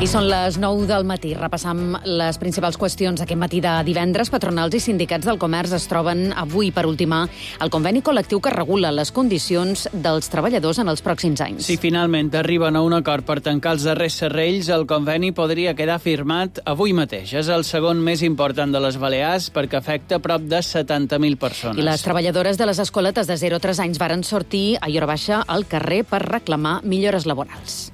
I són les 9 del matí. Repassam les principals qüestions aquest matí de divendres. Patronals i sindicats del comerç es troben avui per ultimar el conveni col·lectiu que regula les condicions dels treballadors en els pròxims anys. Si finalment arriben a un acord per tancar els darrers serrells, el conveni podria quedar firmat avui mateix. És el segon més important de les Balears perquè afecta prop de 70.000 persones. I les treballadores de les escoletes de 0 a 3 anys varen sortir a hora baixa al carrer per reclamar millores laborals.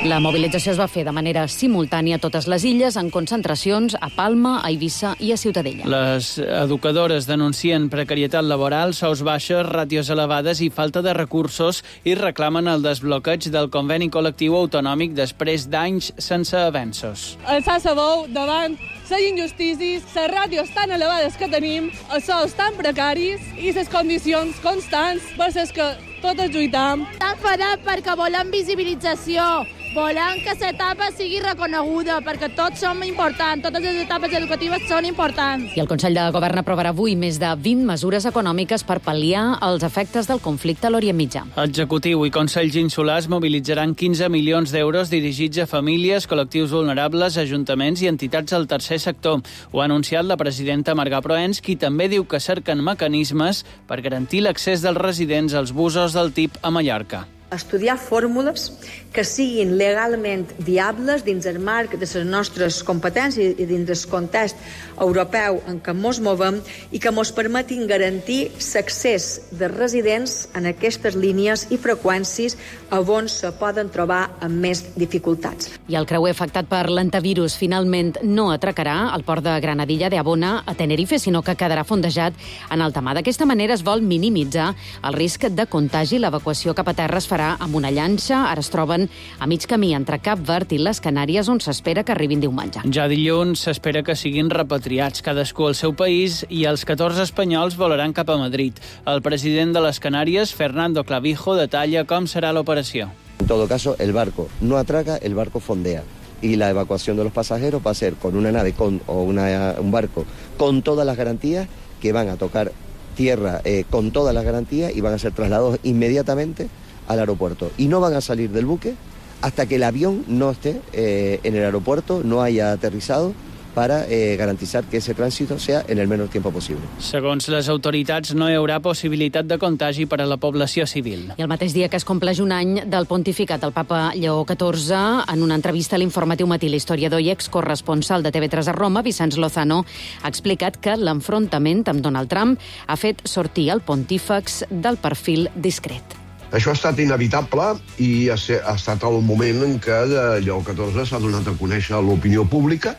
La mobilització es va fer de manera simultània a totes les illes, en concentracions a Palma, a Eivissa i a Ciutadella. Les educadores denuncien precarietat laboral, sous baixes, ràtios elevades i falta de recursos i reclamen el desbloqueig del conveni col·lectiu autonòmic després d'anys sense avenços. Alçar la veu davant les injustícies, les ràtios tan elevades que tenim, els sous tan precaris i les condicions constants per les que totes lluitam. Estan enfadats perquè volen visibilització, volen que l'etapa sigui reconeguda, perquè tots som importants, totes les etapes educatives són importants. I el Consell de Govern aprovarà avui més de 20 mesures econòmiques per pal·liar els efectes del conflicte a l'Orient Mitjà. Executiu i Consells Insulars mobilitzaran 15 milions d'euros dirigits a famílies, col·lectius vulnerables, ajuntaments i entitats del tercer sector. Ho ha anunciat la presidenta Marga Proens, qui també diu que cerquen mecanismes per garantir l'accés dels residents als busos del TIP a Mallorca. Estudiar fórmules que siguin legalment viables dins el marc de les nostres competències i dins el context europeu en què ens movem i que ens permetin garantir l'accés de residents en aquestes línies i freqüències on se poden trobar amb més dificultats. I el creuer afectat per l'antivirus finalment no atracarà al port de Granadilla de Abona a Tenerife, sinó que quedarà fondejat en alta mar. D'aquesta manera es vol minimitzar el risc de contagi. L'evacuació cap a terra es farà amb una llanxa. Ara es troben a mig camí entre Cap Verd i les Canàries, on s'espera que arribin diumenge. Ja dilluns s'espera que siguin repatriats cadascú al seu país i els 14 espanyols volaran cap a Madrid. El president de les Canàries, Fernando Clavijo, detalla com serà l'operació. En todo caso, el barco no atraca, el barco fondea. Y la evacuación de los pasajeros va a ser con una nave un barco con todas las garantías que van a tocar tierra con todas las garantías y van a ser trasladados inmediatamente al aeropuerto. Y no van a salir del buque hasta que el avión no esté en el aeropuerto, no haya aterrizado, para garantizar que ese trànsit sea en el menor tiempo possible. Segons les autoritats, no hi haurà possibilitat de contagi per a la població civil. I el mateix dia que es compleix un any del pontificat del papa Lleó XIV, en una entrevista a l'Informatiu Matí, l'historiador i excorresponsal de TV3 a Roma, Vicenç Lozano, ha explicat que l'enfrontament amb Donald Trump ha fet sortir el pontífex del perfil discret. Això ha estat inevitable i ha estat el moment en què Lleó XIV s'ha donat a conèixer a l'opinió pública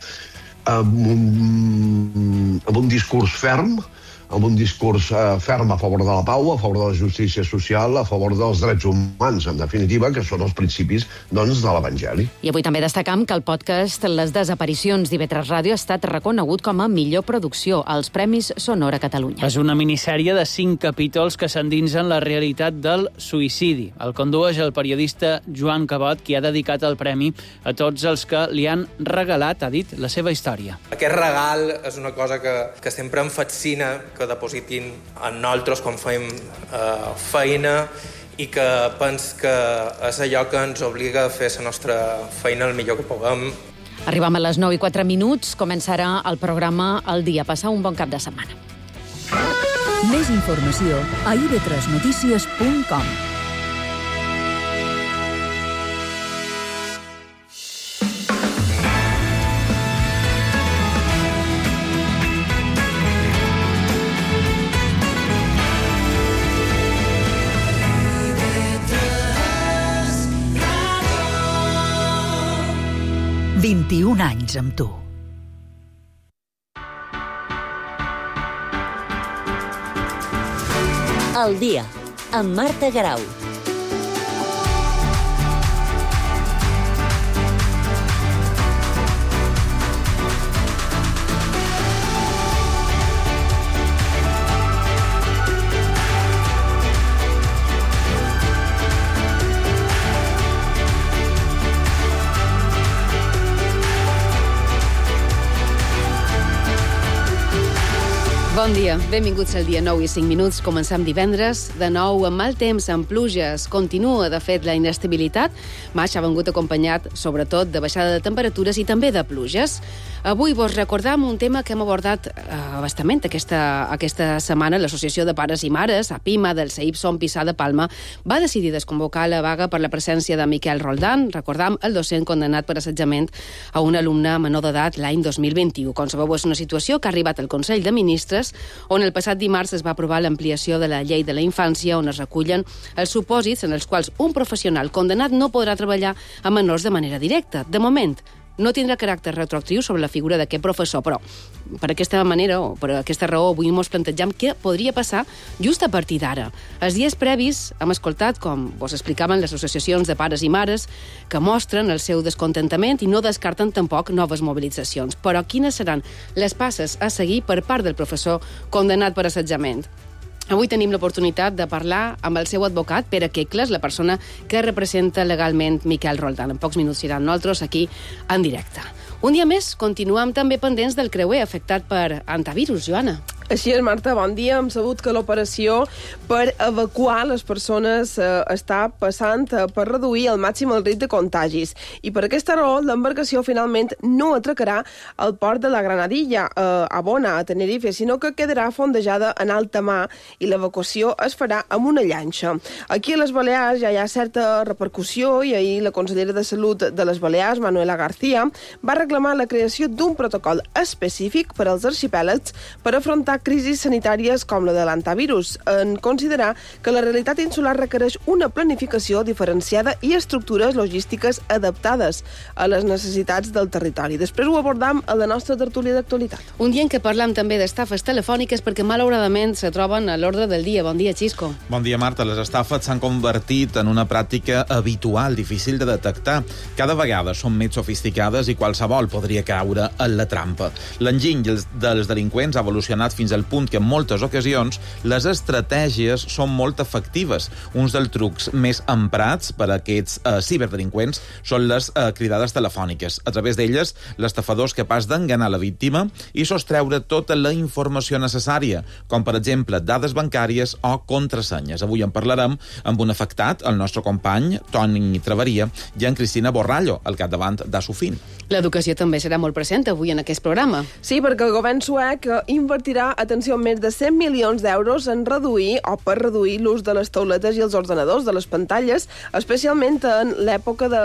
amb un discurs ferm, amb un discurs ferm a favor de la pau, a favor de la justícia social, a favor dels drets humans, en definitiva, que són els principis doncs, de l'Evangeli. I avui també destacam que el podcast Les desaparicions d'IV3 Ràdio ha estat reconegut com a millor producció als Premis Sonora Catalunya. És una minissèrie de 5 capítols que s'endinsen la realitat del suïcidi. El condueix el periodista Joan Cabot, qui ha dedicat el premi a tots els que li han regalat, ha dit, la seva història. Aquest regal és una cosa que sempre em fascina, que depositin en nosaltres quan fem feina i que pens que és allò que ens obliga a fer la nostra feina el millor que puguem. Arribam a les 9:04. Començarà el programa El Dia. Passar un bon cap de setmana. Més informació a ib3notícies.com. «21 anys amb tu». El Dia, amb Marta Garau. Bon dia, benvinguts al dia 9 i 5 minuts. Comencem divendres, de nou amb mal temps, amb pluges. Continua, de fet, la inestabilitat. Maig ha vengut acompanyat, sobretot, de baixada de temperatures i també de pluges. Avui vos recordam un tema que hem abordat bastament aquesta setmana. L'Associació de Pares i Mares, APIMA, del CEIP Son Pissar de Palma, va decidir desconvocar la vaga per la presència de Miquel Roldán, recordam, el docent condemnat per assetjament a un alumne menor d'edat l'any 2021. Com sabeu, és una situació que ha arribat al Consell de Ministres, on el passat dimarts es va aprovar l'ampliació de la llei de la infància, on es recullen els supòsits en els quals un professional condemnat no podrà treballar amb menors de manera directa. De moment, no tindrà caràcter retroactiu sobre la figura d'aquest professor, però per aquesta manera, o per aquesta raó, avui ens plantegem què podria passar just a partir d'ara. Els dies previs hem escoltat, com vos explicaven les associacions de pares i mares, que mostren el seu descontentament i no descarten tampoc noves mobilitzacions. Però quines seran les passes a seguir per part del professor condemnat per assetjament? Avui tenim l'oportunitat de parlar amb el seu advocat, Pere Quecles, la persona que representa legalment Miquel Roldán. En pocs minuts seran nosaltres aquí en directe. Un dia més, continuem també pendents del creuer afectat per antivirus, Joana. Així és, Marta, bon dia. Hem sabut que l'operació per evacuar les persones està passant per reduir al màxim el risc de contagis. I per aquesta raó, l'embarcació finalment no atracarà al port de la Granadilla, a Bona, a Tenerife, sinó que quedarà fondejada en alta mar i l'evacuació es farà amb una llanxa. Aquí a les Balears ja hi ha certa repercussió i ahir la consellera de Salut de les Balears, Manuela García, va reclamar la creació d'un protocol específic per als arxipèlags per afrontar crisis sanitàries com la de l'antivirus, en considerar que la realitat insular requereix una planificació diferenciada i estructures logístiques adaptades a les necessitats del territori. Després ho abordam a la nostra tertúlia d'actualitat. Un dia en què parlam també d'estafes telefòniques perquè malauradament se troben a l'ordre del dia. Bon dia, Xisco. Bon dia, Marta. Les estafes s'han convertit en una pràctica habitual, difícil de detectar. Cada vegada són més sofisticades i qualsevol podria caure en la trampa. L'enginy dels delinqüents ha evolucionat fins al punt que en moltes ocasions les estratègies són molt efectives. Uns dels trucs més emprats per a aquests ciberdelinqüents són les cridades telefòniques. A través d'elles, l'estafador és capaç d'enganar la víctima i sostreure tota la informació necessària, com per exemple dades bancàries o contrasenyes. Avui en parlarem amb un afectat, el nostre company, Toni Traveria, i en Cristina Borrallo, al capdavant d'Assofin. L'educació també serà molt present avui en aquest programa. Sí, perquè el govern suec invertirà, atenció, més de 100 milions d'euros en reduir l'ús de les tauletes i els ordenadors, de les pantalles, especialment en l'època de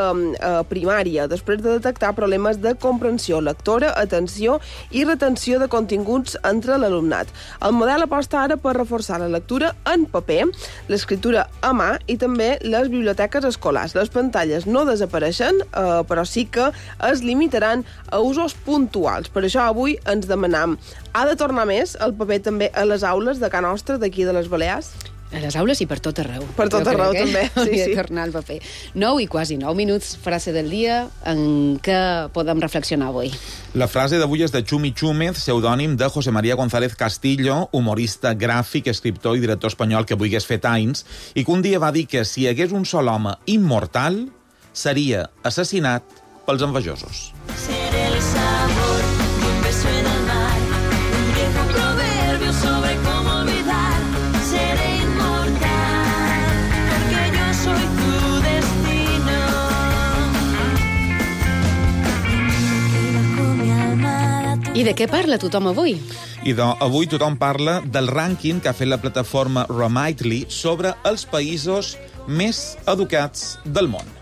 primària, després de detectar problemes de comprensió lectora, atenció i retenció de continguts entre l'alumnat. El model aposta ara per reforçar la lectura en paper, l'escriptura a mà i també les biblioteques escolars. Les pantalles no desapareixen, però sí que es limitaran a usos puntuals. Per això avui ens demanam, ha de tornar més el paper també a les aules de Can Nostra, d'aquí de les Balears? A les aules i per tot arreu. Per tot arreu, també. Hauria de tornar al paper. 9 i quasi 9 minuts, frase del dia, en què podem reflexionar avui. La frase d'avui és de Chumi Chúmez, pseudònim de José María González Castillo, humorista gràfic, escriptor i director espanyol que avui hagués fet anys, i que un dia va dir que si hi hagués un sol home immortal, seria assassinat pels envejosos. Seré el sabor de un beso en el mar, un viejo proverbio sobre cómo olvidar. Seré inmortal, porque yo soy tu destino. Y bajo mi almohada tu... I de què parla tothom avui? Avui tothom parla del rànquing que ha fet la plataforma Remitly sobre els països més educats del món.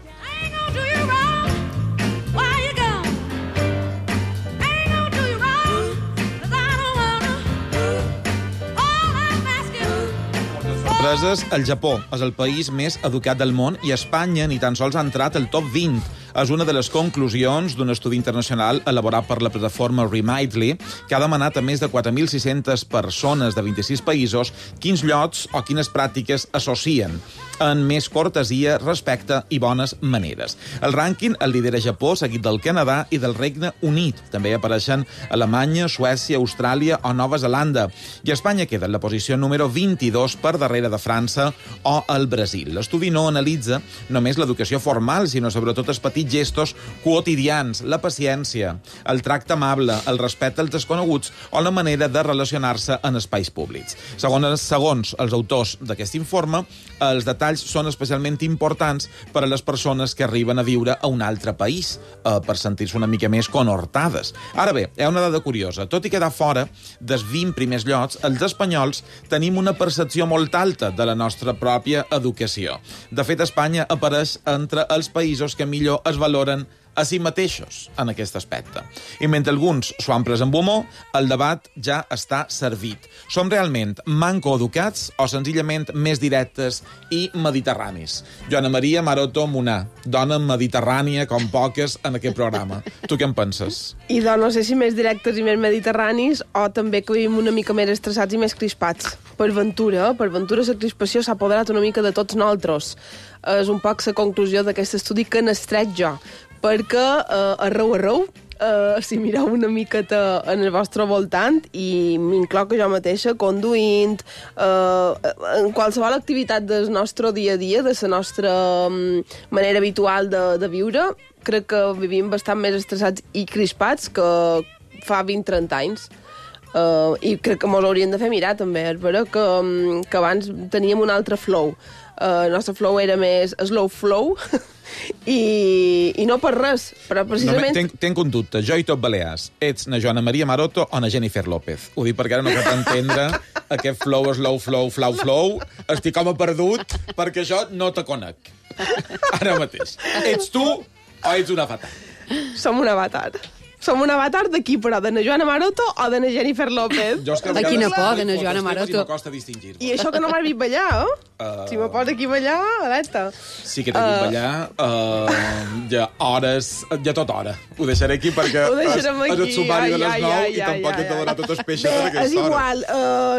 El Japó és el país més educat del món i Espanya ni tan sols ha entrat al top 20. És una de les conclusions d'un estudi internacional elaborat per la plataforma Remitly, que ha demanat a més de 4.600 persones de 26 països quins llocs o quines pràctiques associen en més cortesia, respecte i bones maneres. El rànquing el lidera Japó, seguit del Canadà i del Regne Unit. També apareixen Alemanya, Suècia, Austràlia o Nova Zelanda. I Espanya queda en la posició número 22 per darrere de França o el Brasil. L'estudi no analitza només l'educació formal, sinó sobretot els petits petits gestos quotidians, la paciència, el tracte amable, el respecte als desconeguts o la manera de relacionar-se en espais públics. Segons els autors d'aquest informe, els detalls són especialment importants per a les persones que arriben a viure a un altre país, per sentir-se una mica més conhortades. Ara bé, hi ha una dada curiosa. Tot i quedar fora dels 20 primers llocs, els espanyols tenim una percepció molt alta de la nostra pròpia educació. De fet, Espanya apareix entre els països que millor es valoren a si mateixos en aquest aspecte. I mentre alguns s'ho han pres amb humor, el debat ja està servit. Som realment mancoeducats o senzillament més directes i mediterranis? Joana Maria Maroto Munar, dona mediterrània com poques en aquest programa. Tu què en penses? I no sé si més directes i més mediterranis o també que vivim una mica més estressats i més crispats. Per ventura la crispació s'ha apoderat una mica de tots nosaltres. És un poc la conclusió d'aquest estudi que n'estret jo. Perquè arreu, si mireu una miqueta en el vostre voltant, i m'incloc jo mateixa, conduint, en qualsevol activitat del nostre dia a dia, de la nostra manera habitual de viure, crec que vivim bastant més estressats i crispats que fa 20-30 anys. I crec que mos hauríem de fer mirar, també. És vera que abans teníem un altre flow. El nostre flow era més slow flow, i no per res, però precisament... No, tenc un dubte. Jo i tot Balears. Ets na Joana Maria Maroto o na Jennifer López? Ho dic perquè ara no cal entendre aquest flow, slow flow, flow. Estic com a perdut perquè jo no te conec. Ara mateix. Ets tu o ets un avatar? Som un avatar. Som un avatar d'aquí, però de na Joana Maroto o de na Jennifer López? De quina por, de na Joana Maroto. I això que no m'has vist ballar, Si me posa aquí ballar, alerta. Sí que t'he vist ballar, ja tota hora. Ho deixaré aquí perquè és el sumari de les 9 i tampoc he de donar totes peixes en aquesta hora. És igual,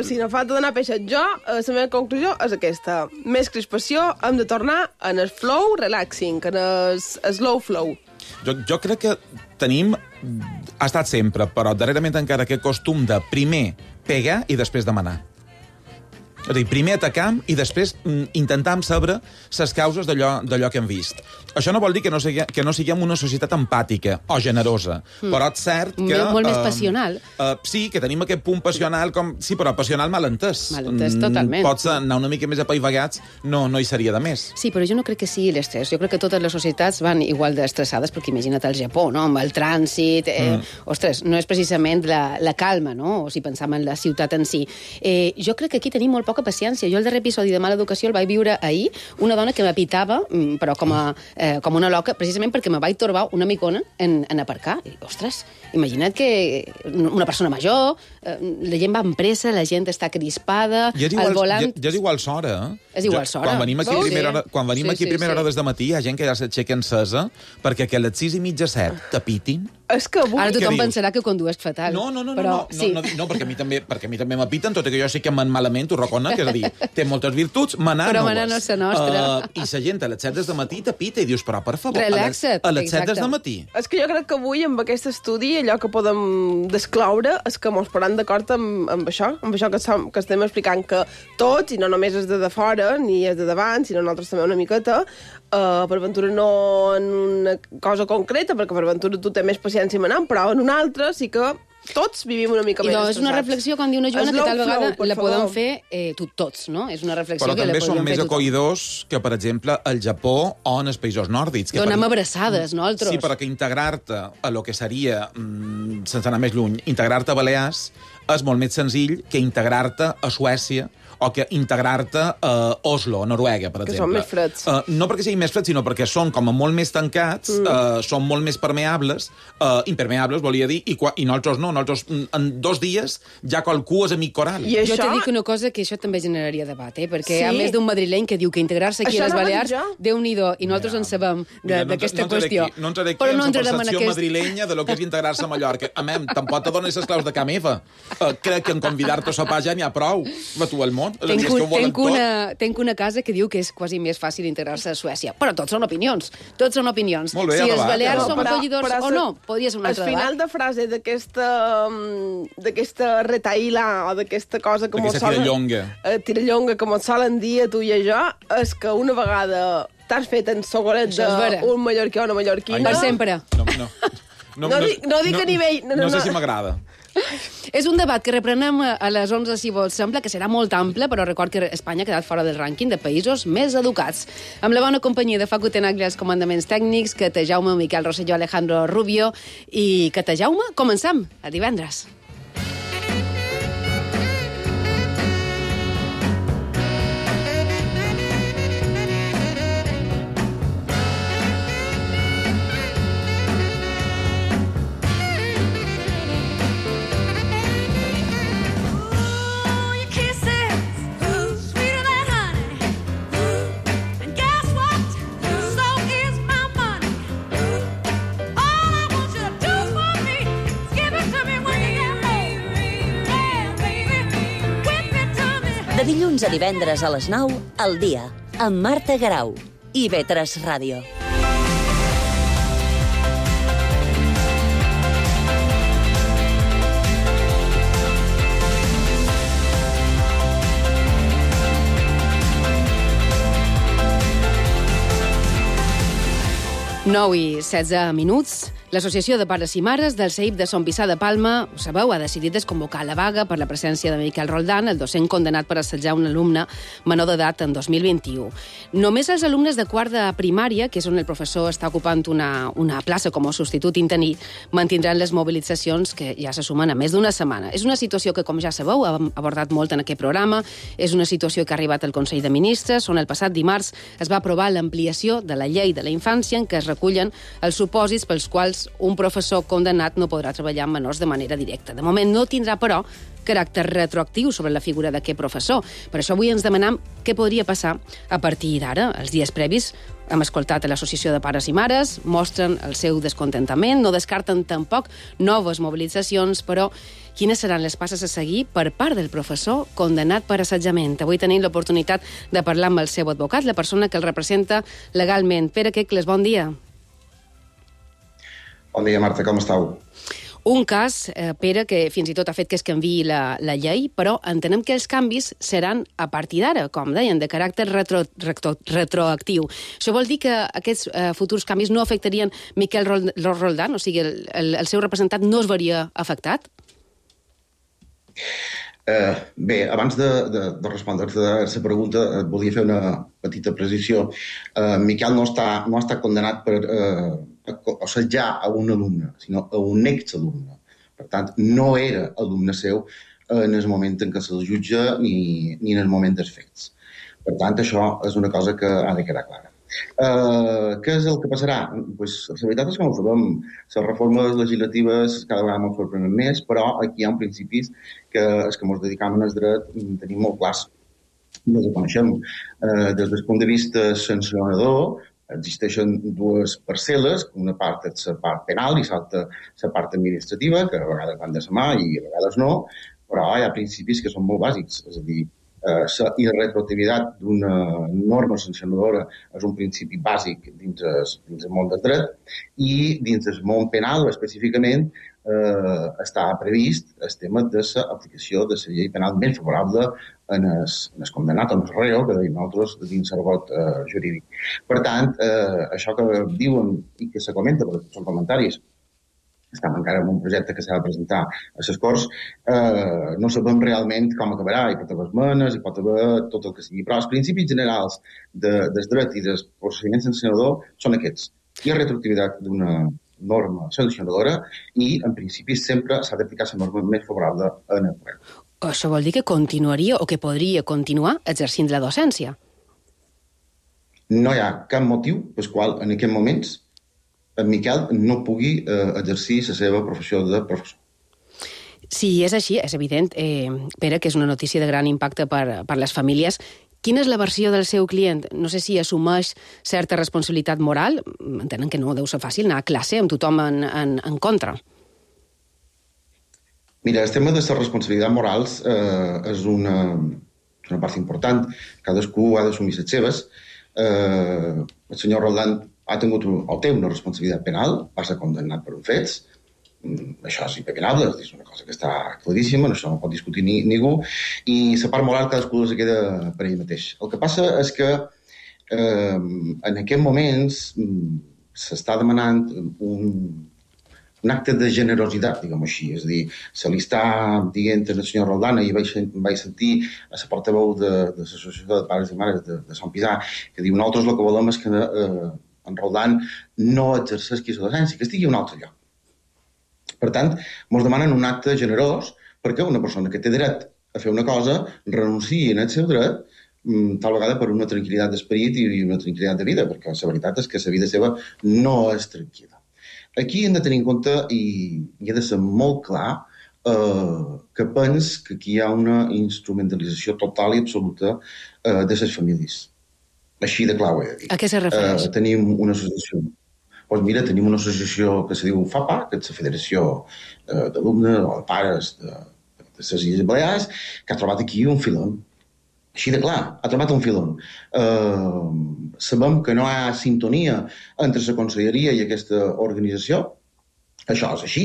si no falta donar peixes jo, la meva conclusió és aquesta. Més crispació, hem de tornar en el flow relaxing, en el slow flow. Jo crec que tenim, ha estat sempre, però darrerament encara aquest costum de primer pegar i després demanar. És a dir, primer atacam i després intentam saber les causes d'allò que hem vist. Això no vol dir que no siguem una societat empàtica o generosa, però és cert que... Molt més passional. Sí, que tenim aquest punt passional, sí, però passional mal entès. Mal entès, totalment. Pots anar una mica més apaivagats, no hi seria de més. Sí, però jo no crec que sigui l'estrès. Jo crec que totes les societats van igual d'estressades, perquè imagina't el Japó, no?, amb el trànsit... Ostres, no és precisament la calma, no?, o si pensam en la ciutat en si. Jo crec que aquí tenim molt poca paciència. Jo el darrer episodi de Mala Educació el vaig viure ahir, una dona que m'apitava, però com una loca, precisament perquè me vaig torbar una micona en aparcar. I, ostres, imagina't que una persona major, la gent va amb pressa, la gent està crispada, al volant... Ja és igual s'hora, És igual s'hora. Quan venim aquí a primera hora des de matí, hi ha gent que ja s'aixeca encesa perquè que a les 6:30, 7 t'apitin. És que avui... Ara tothom pensarà que condueix fatal. No, perquè a mi també m'apiten, tot i que jo sí que me'n malament, ho reconec, és a dir, té moltes virtuts, manar però manar no és la nostra. I la gent a les 7 des de matí t'apita i dius, però per favor, relaxa't, a les 7 des de matí. És que jo crec que avui, amb aquest estudi, allò que podem descloure és que mos posem d'acord amb això que estem explicant, que tots, i no només és de fora, ni és de davant, sinó nosaltres també una miqueta, per ventura no en una cosa concreta, perquè per ventura tu té més paciència manant, però en una altra sí que tots vivim una mica més estressats. És una reflexió, com diu una Joana, que tal vegada la podem fer tots, no? És una reflexió que la podem fer tothom. Però també som més acollidors que, per exemple, al Japó o en els països nòrdics. Donem abraçades, no, altres? Sí, perquè integrar-te a lo que seria, sense anar més lluny, integrar-te a Balears és molt més senzill que integrar-te a Suècia o que integrar-te a Oslo, a Noruega, per exemple. Que són més freds. No perquè siguin més freds, sinó perquè són com a molt més tancats, són molt més permeables, impermeables, volia dir, i nosaltres no. Nosaltres, en 2 dies, ja qualcú és amic coral. Jo te dic una cosa que això també generaria debat, perquè hi ha més d'un madrileny que diu que integrar-se aquí a les Balears, Déu-n'hi-do, i nosaltres en sabem d'aquesta qüestió. No entraré aquí en la percepció madrilenya de lo que és integrar-se a Mallorca. Tampoc te dones les claus de Ca Meva. Crec que en convidar-te a sopar ja n'hi ha prou. Va tu al món. Tenc una casa que diu que és quasi més fàcil integrar-se a Suècia. Però tots són opinions. Molt bé, si els balears són acollidors o no, podria ser un altre debat. Al final de frase d'aquesta retaïla o d'aquesta cosa que tirallonga que mos solen dir a tu i a jo, és que una vegada T'has fet en sogolet d'un mallorquí o una mallorquina. Per sempre. No dic a nivell... No sé si m'agrada. És un debat que reprenem a les 11, si vols. Sembla que serà molt ample, però record que Espanya ha quedat fora del rànquing de països més educats. Amb la bona companyia de Facu Tenaglia als comandaments tècnics, que te Jaume, Miquel Rosselló, Alejandro Rubio i que te Jaume, comencem. A divendres. De dilluns a divendres a les 9, al dia, amb Marta Garau i IB3 Ràdio. Nou i 16 minuts. L'Associació de Pares i Mares del CEIP de Sant Vicent de Palma, ho sabeu, ha decidit desconvocar la vaga per la presència de Miquel Roldán, el docent condemnat per assetjar un alumne menor d'edat en 2021. Només els alumnes de quart de primària, que és on el professor està ocupant una plaça com a substitut interí, mantindran les mobilitzacions que ja se sumen a més d'una setmana. És una situació que, com ja sabeu, hem abordat molt en aquest programa, és una situació que ha arribat al Consell de Ministres, on el passat dimarts es va aprovar l'ampliació de la llei de la infància en què es recullen els supòsits pels quals un professor condemnat no podrà treballar amb menors de manera directa. De moment no tindrà, però, caràcter retroactiu sobre la figura d'aquest professor. Per això avui ens demanem què podria passar a partir d'ara. Els dies previs hem escoltat a l'Associació de Pares i Mares, mostren el seu descontentament, no descarten tampoc noves mobilitzacions, però quines seran les passes a seguir per part del professor condemnat per assetjament? Avui tenim l'oportunitat de parlar amb el seu advocat, la persona que el representa legalment. Pere Quecles, bon dia. Bon dia, Marta, com estàu? Un cas, Pere, que fins i tot ha fet que es canviï la llei, però entenem que els canvis seran a partir d'ara, com deien, de caràcter retroactiu. Això vol dir que aquests futurs canvis no afectarien Miquel Roldán, o sigui, el seu representant no es veuria afectat? Bé, abans de respondre-te a la pregunta, volia fer una petita precisió. Miquel no està condemnat per assetjar a un alumne, sinó a un exalumne. Per tant, no era alumne seu en el moment en què se'l jutja ni en el moment dels fets. Per tant, això és una cosa que ha de quedar clara. Què és el que passarà? Pues, la veritat és que no ho sabem. Les reformes legislatives cada vegada ens sorprenen més, però aquí hi ha un principis que els que ens dedicam al dret tenim molt clars i els coneixem. Des del punt de vista sancionador, existeixen dues parcel·les, una part és la part penal i l'altra la part administrativa, que a vegades van de la mà i a vegades no, però hi ha principis que són molt bàsics, és a dir, la irretroactivitat d'una norma sancionadora és un principi bàsic dins el món del dret i dins el món penal específicament està previst el tema de l'aplicació de la llei penal més favorable en el condemnat, en el reo, que deim nosaltres dins l'argot jurídic. Per tant, això que diuen i que se comenta, perquè són comentaris, estem encara en un projecte que s'ha de presentar a les Corts, no sabem realment com acabarà, hi pot haver esmenes, hi pot haver tot el que sigui, però els principis generals del dret i del procediment sancionador són aquests. Hi ha retroactivitat d'una norma sancionadora i, en principi, sempre s'ha d'aplicar la norma més favorable en el ple. Això vol dir que continuaria o que podria continuar exercint la docència? No hi ha cap motiu pel qual, en aquests moments, en Miquel no pugui exercir la seva professió de professor. Si és així, és evident, Pere, que és una notícia de gran impacte per les famílies. Quina és la versió del seu client? No sé si assumeix certa responsabilitat moral. Entenen que no deu ser fàcil anar a classe amb tothom en contra. Mira, el tema de les responsabilitats morals és una part important. Cadascú ha d'assumir les seves. El senyor Roldán ha tingut o té una responsabilitat penal, va ser condemnat per uns fets. Això és impepinable, és una cosa que està claríssima, això no pot discutir ningú, i la part moral cadascú se queda per ell mateix. El que passa és que en aquests moments s'està demanant un acte de generositat, diguem-ho així. És a dir, se li està dient al senyor Roldán, i vaig sentir a la portaveu de l'Associació de Pares i Mares de Sant Pisà, que diu, nosaltres el que volem és que en Roldán no exerceixi la docència, que estigui a un altre lloc. Per tant, ens demanen un acte generós perquè una persona que té dret a fer una cosa renunciï en el seu dret, tal vegada per una tranquil·litat d'esperit i una tranquil·litat de vida, perquè la veritat és que la vida seva no és tranquil·la. Aquí hem de tenir en compte, i ha de ser molt clar, que pens que aquí hi ha una instrumentalització total i absoluta de les famílies. Així de clar ho he de dir. A què se refereix? Tenim una associació. Doncs mira, tenim una associació que se diu FAPA, que és la Federació d'Alumnes o de Pares de les Illes Balears, que ha trobat aquí un filon. Així de clar, ha trobat un filon. Sabem que no hi ha sintonia entre la Conselleria i aquesta organització. Això és així.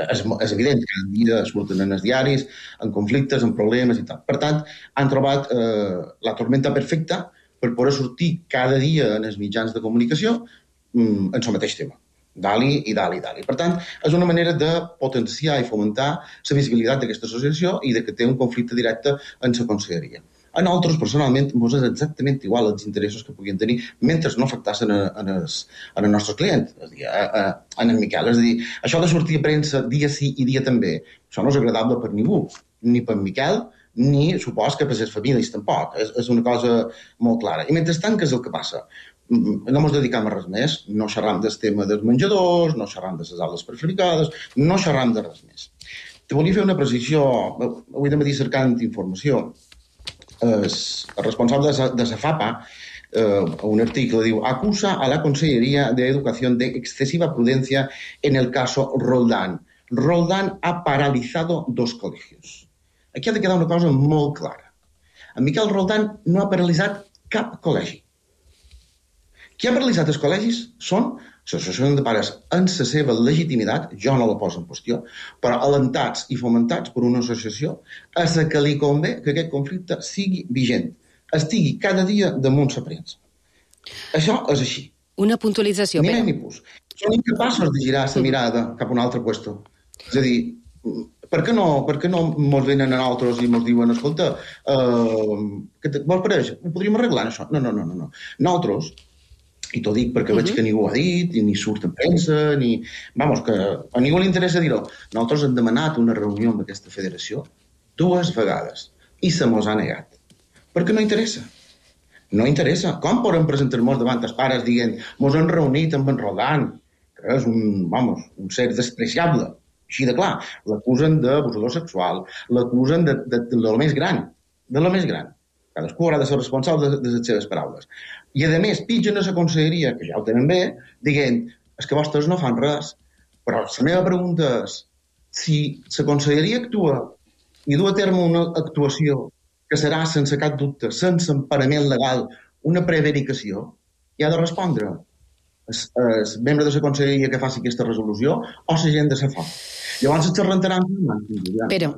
És evident que cada dia surten en els diaris, en conflictes, en problemes i tal. Per tant, han trobat la tormenta perfecta per poder sortir cada dia en els mitjans de comunicació en el mateix tema. Dali i dali, dali. Per tant, és una manera de potenciar i fomentar la visibilitat d'aquesta associació i de que té un conflicte directe en la conselleria. A nosaltres, personalment, ens és exactament igual els interessos que puguin tenir mentre no afectassin en el nostre client, és a dir, en el Miquel. És a dir, això de sortir a premsa dia sí i dia també, això no és agradable per ningú, ni per Miquel, ni supos que per les famílies tampoc. És una cosa molt clara. I mentrestant, què és el que passa? No ens dedicam a res més, no xerram del tema dels menjadors, no xerram de les aules prefabricades, no xerram de res més. Te volia fer una precisió, avui de matí cercant informació. El responsable de la FAPA, un article, diu, acusa a la Consellería de Educación de excesiva prudencia en el caso Roldán. Roldán ha paralizado 2 colegios. Aquí ha de quedar una cosa molt clara. En Miquel Roldán no ha paralitzat cap col·legi. Qui ha paralitzat els col·legis són l'associació de pares en la seva legitimitat, jo no la poso en qüestió, però alentats i fomentats per una associació a la que li convé que aquest conflicte sigui vigent, estigui cada dia damunt la premsa. Això és així. Una puntualització. Ni més ni pus. Són incapaços de girar la mirada cap a un altre puesto. És a dir, per què no ens venen a nosaltres i ens diuen, escolta, què vols pareix? Ho podríem arreglar, això? No. Nosaltres, i t'ho dic perquè veig que ningú ho ha dit, ni surt en premsa, ni... Vamos, que a ningú li interessa dir-ho. Nosaltres hem demanat una reunió amb aquesta federació 2 vegades i se mos ha negat. Perquè no interessa. No interessa. Com podem presentar-nos davant els pares dient mos hem reunit amb en Roldán, que és un ser despreciable, així de clar. L'acusen d'abusador sexual, l'acusen de lo més gran, Cadascú haurà de ser responsable de les seves paraules. I, a més, pitgen a la conselleria, que ja ho tenen bé, dient, és que vostres no fan res. Però la meva pregunta és, si la conselleria actua i du a terme una actuació que serà, sense cap dubte, sense emparament legal, una prevaricació, hi ha de respondre el membre de la conselleria que faci aquesta resolució o la gent de la FAP. Llavors es rentaran... Però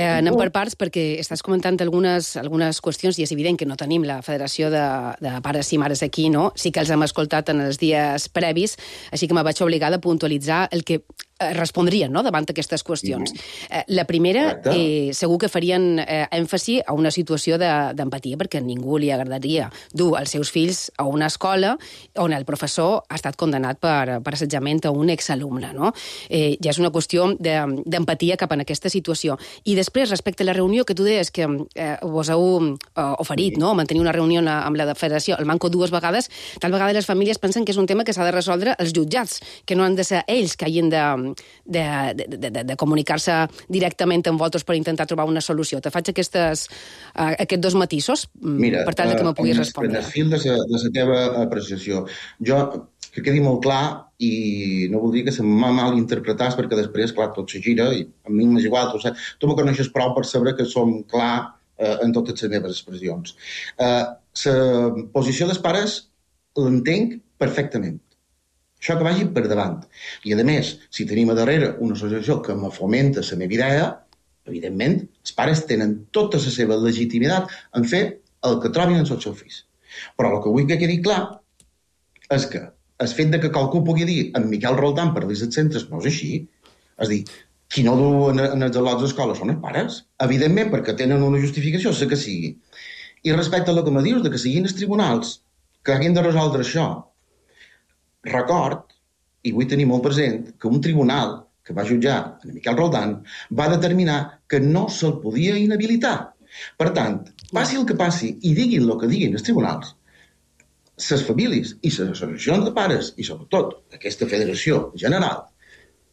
anem per parts perquè estàs comentant algunes qüestions i és evident que no tenim la Federació de Pares i Mares aquí, no? Sí que els hem escoltat en els dies previs, així que me vaig obligada a puntualitzar el que respondrien, no?, davant aquestes qüestions. La primera, segur que farien èmfasi a una situació d'empatia, perquè a ningú li agradaria dur els seus fills a una escola on el professor ha estat condemnat per assetjament a un exalumne, no? Ja és una qüestió d'empatia cap en aquesta situació. I després, respecte a la reunió que tu deies que vos heu oferit, no?, mantenir una reunió amb la federació, el manco 2 vegades, tal vegada les famílies pensen que és un tema que s'ha de resoldre els jutjats, que no han de ser ells que hagin de comunicar-se directament amb vosaltres per intentar trobar una solució. Te faig aquests 2 matisos, per tal que me puguis respondre. Mira, fil de la teva apreciació. Jo, que quedi molt clar, i no voldria que se m'ha mal interpretàs, perquè després, clar, tot se gira, i a mi m'és igual, tu me coneixes prou per saber que som clar en totes les meves expressions. La posició dels pares l'entenc perfectament. Això que vagi per davant. I, a més, si tenim a darrere una associació que me fomenta la meva idea, evidentment, els pares tenen tota la seva legitimitat en fer el que trobin els seus fills. Però el que vull que quedi clar és que el fet de que qualcú pugui dir en Miquel Roldán per als centres no és així. És dir, qui no du en els al·lots d'escola són els pares. Evidentment, perquè tenen una justificació, sé que sigui. I respecte a el que me dius, de que siguin els tribunals que hagin de resoldre això, record, i vull tenir molt present, que un tribunal que va jutjar en Miquel Roldán va determinar que no se'l podia inhabilitar. Per tant, passi el que passi i diguin el que diguin els tribunals, les famílies i les associacions de pares, i sobretot aquesta federació general,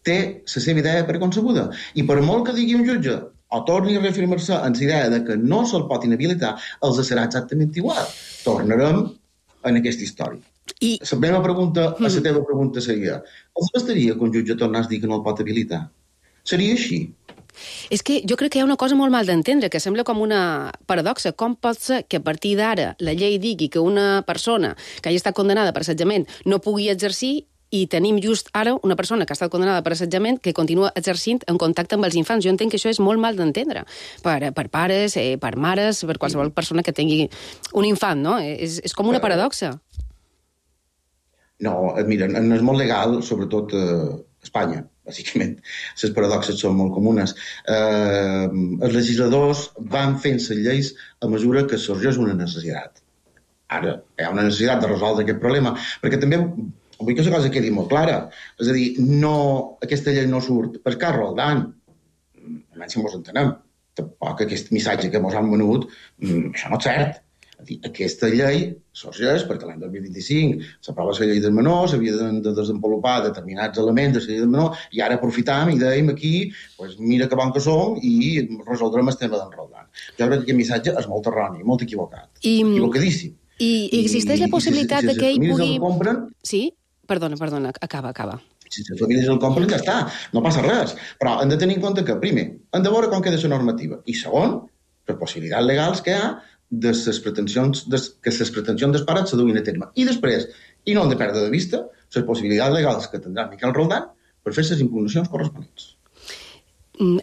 té la seva idea preconcebuda. I per molt que digui un jutge o torni a reafirmar-se en la idea de que no se'l pot inhabilitar, els serà exactament igual. Tornarem en aquesta història. I la meva pregunta, a la teva pregunta seria, els bastaria que un jutge tornés a dir que no el pot habilitar? Seria així? És que jo crec que hi ha una cosa molt mal d'entendre, que sembla com una paradoxa. Com pot ser que a partir d'ara la llei digui que una persona que hagi estat condenada per assetjament no pugui exercir i tenim just ara una persona que ha estat condenada per assetjament que continua exercint en contacte amb els infants? Jo entenc que això és molt mal d'entendre per pares, per mares, per qualsevol persona que tingui un infant, no? És com una paradoxa. No, mira, no és molt legal, sobretot a Espanya, bàsicament. Les paradoxes són molt comunes. Els legisladors van fent les lleis a mesura que sorgeix una necessitat. Ara, hi ha una necessitat de resoldre aquest problema, perquè també vull que la cosa quedi molt clara. És a dir, aquesta llei no surt per Carles Roldán. Almenys si mos entenem. Tampoc aquest missatge que mos han venut, això no és cert. Aquesta llei sorgeix perquè l'any 2025 s'aprova la llei del menor, s'havia de desenvolupar determinats elements de la llei del menor, i ara aprofitam i dèiem aquí, mira que bon que som i resoldrem el tema d'en Roldán. Jo crec que aquest missatge és molt erroni, molt equivocat. Equivocadíssim. I existeix la possibilitat de que ell pugui... Sí? Perdona, acaba. Si les famílies el compren, ja està, no passa res. Però hem de tenir en compte que, primer, hem de veure com queda la normativa. I segon, les possibilitats legals que hi ha de les pretensions dels pares se duguin a terme. I després, i no hem de perdre de vista, les possibilitats legals que tindrà Miquel Roldán per fer les impugnacions corresponents.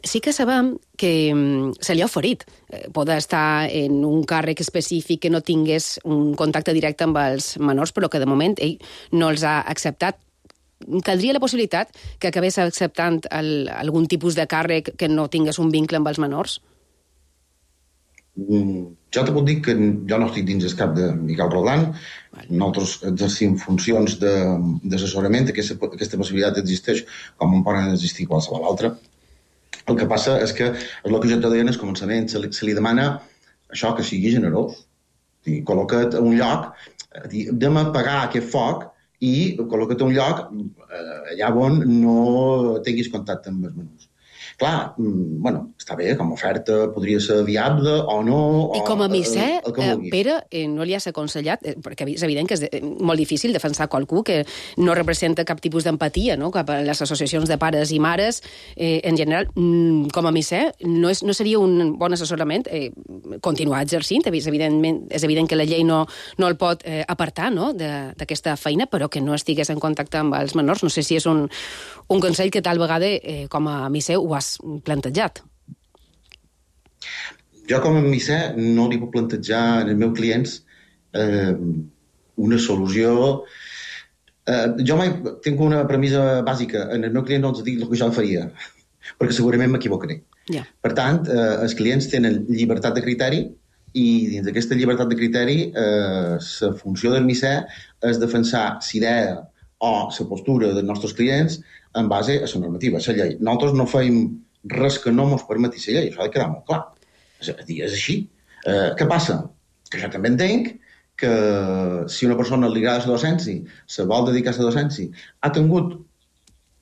Sí que sabem que se li ha oferit poder estar en un càrrec específic que no tingués un contacte directe amb els menors, però que de moment ell no els ha acceptat. Caldria la possibilitat que acabés acceptant algun tipus de càrrec que no tingués un vincle amb els menors? Jo te puc dir que jo no estic dins el cap de Miquel Roldán. Nosaltres exercim funcions d'assessorament. Aquesta possibilitat existeix com en poden existir qualsevol altra. El que passa és que, és el que jo te deia en el començament, se li demana això, que sigui generós. Col·loca't a un lloc, anem a apagar aquest foc i col·loca't a un lloc allà on no tinguis contacte amb els menors. Clar, està bé, com a oferta podria ser viable o no... I com a misser, Pere, no li has aconsellat, perquè és evident que és molt difícil defensar qualcú que no representa cap tipus d'empatia, no?, cap a les associacions de pares i mares. En general, com a misser, no seria un bon assessorament continuar exercint. És evident que la llei no el pot apartar, no?, d'aquesta feina, però que no estigués en contacte amb els menors. No sé si és un consell que tal vegada, com a misser, ho has plantejat. Jo com a misser no li puc plantejar als meus clients una solució. Jo mai tinc una premissa bàsica. En el meu client no els dic el que jo faria, perquè segurament m'equivocaré. Per tant, els clients tenen llibertat de criteri i dins d'aquesta llibertat de criteri la funció del misser és defensar l'idea o la postura dels nostres clients en base a la normativa, a la llei. Nosaltres no feim res que no ens permeti la llei, això ha de quedar molt clar. És així. Què passa? Que jo també entenc que si una persona li agrada la docència, se vol dedicar a la docència, ha tingut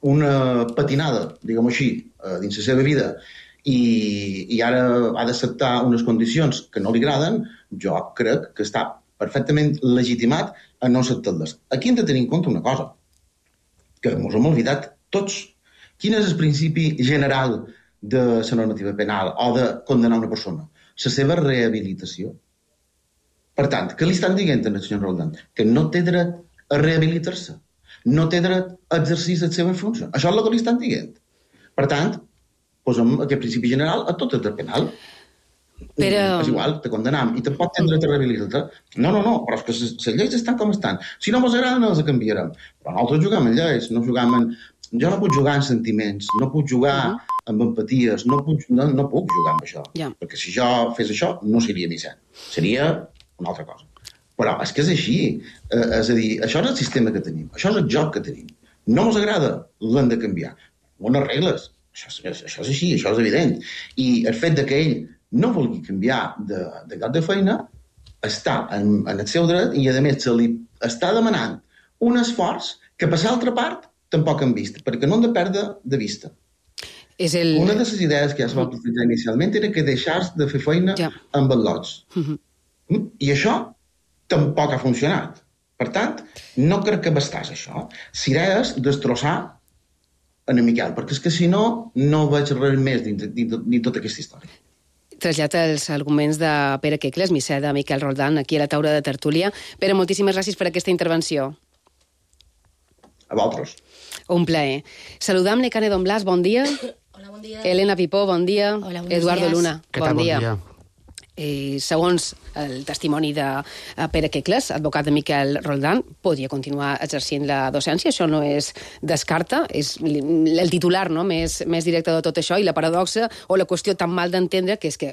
una patinada, diguem-ho així, dins la seva vida, i ara ha d'acceptar unes condicions que no li agraden, jo crec que està perfectament legitimat a no acceptar-les. Aquí hem de tenir en compte una cosa, que ens hem oblidat tots. Quin és el principi general de la normativa penal o de condenar una persona? La seva rehabilitació. Per tant, què li estan dient al senyor Roldán? Que no té dret a rehabilitar-se. No té dret a exercir les seves funcions. Això és el que li estan dient. Per tant, posem aquest principi general a tot el dret penal. Però... És igual, te condenam i tampoc tens dret a rehabilitar-te. No, però és que les lleis estan com estan. Si no mos agraden, no les canviarem. Però nosaltres juguem en lleis, no juguem en... Jo no puc jugar en sentiments, no puc jugar amb empaties, no puc jugar amb això. Perquè si jo fes això, no seria missa. Seria una altra cosa. Però és que és així. És a dir, això és el sistema que tenim, això és el joc que tenim. No mos agrada, l'hem de canviar. Bones regles. Això és així, això és evident. I el fet que ell no vulgui canviar de lloc de feina està en el seu dret i, a més, se li està demanant un esforç que per l'altra part tampoc hem vist, perquè no hem de perdre de vista. Una de les idees que ja es va plantejar inicialment era que deixars de fer feina amb els lots. I això tampoc ha funcionat. Per tant, no crec que bastàs això. S'idees destrossar en Miquel, perquè és que si no, no veig res més dins tota aquesta història. Trasllat els arguments de Pere Quecles, missa de Miquel Roldán, aquí a la taula de tertúlia. Pere, moltíssimes gràcies per aquesta intervenció. A vosaltres. Un plaer. Saludam Necane Don Blas, bon dia. Hola, bon dia. Elena Pipó, bon dia. Hola, Eduardo días. Luna, Què tal, bon dia. bon dia. Segons el testimoni de Pere Quecles, advocat de Miquel Roldán, podria continuar exercint la docència. Això no es descarta, és el titular més directe de tot això, i la paradoxa o la qüestió tan mal d'entendre que és que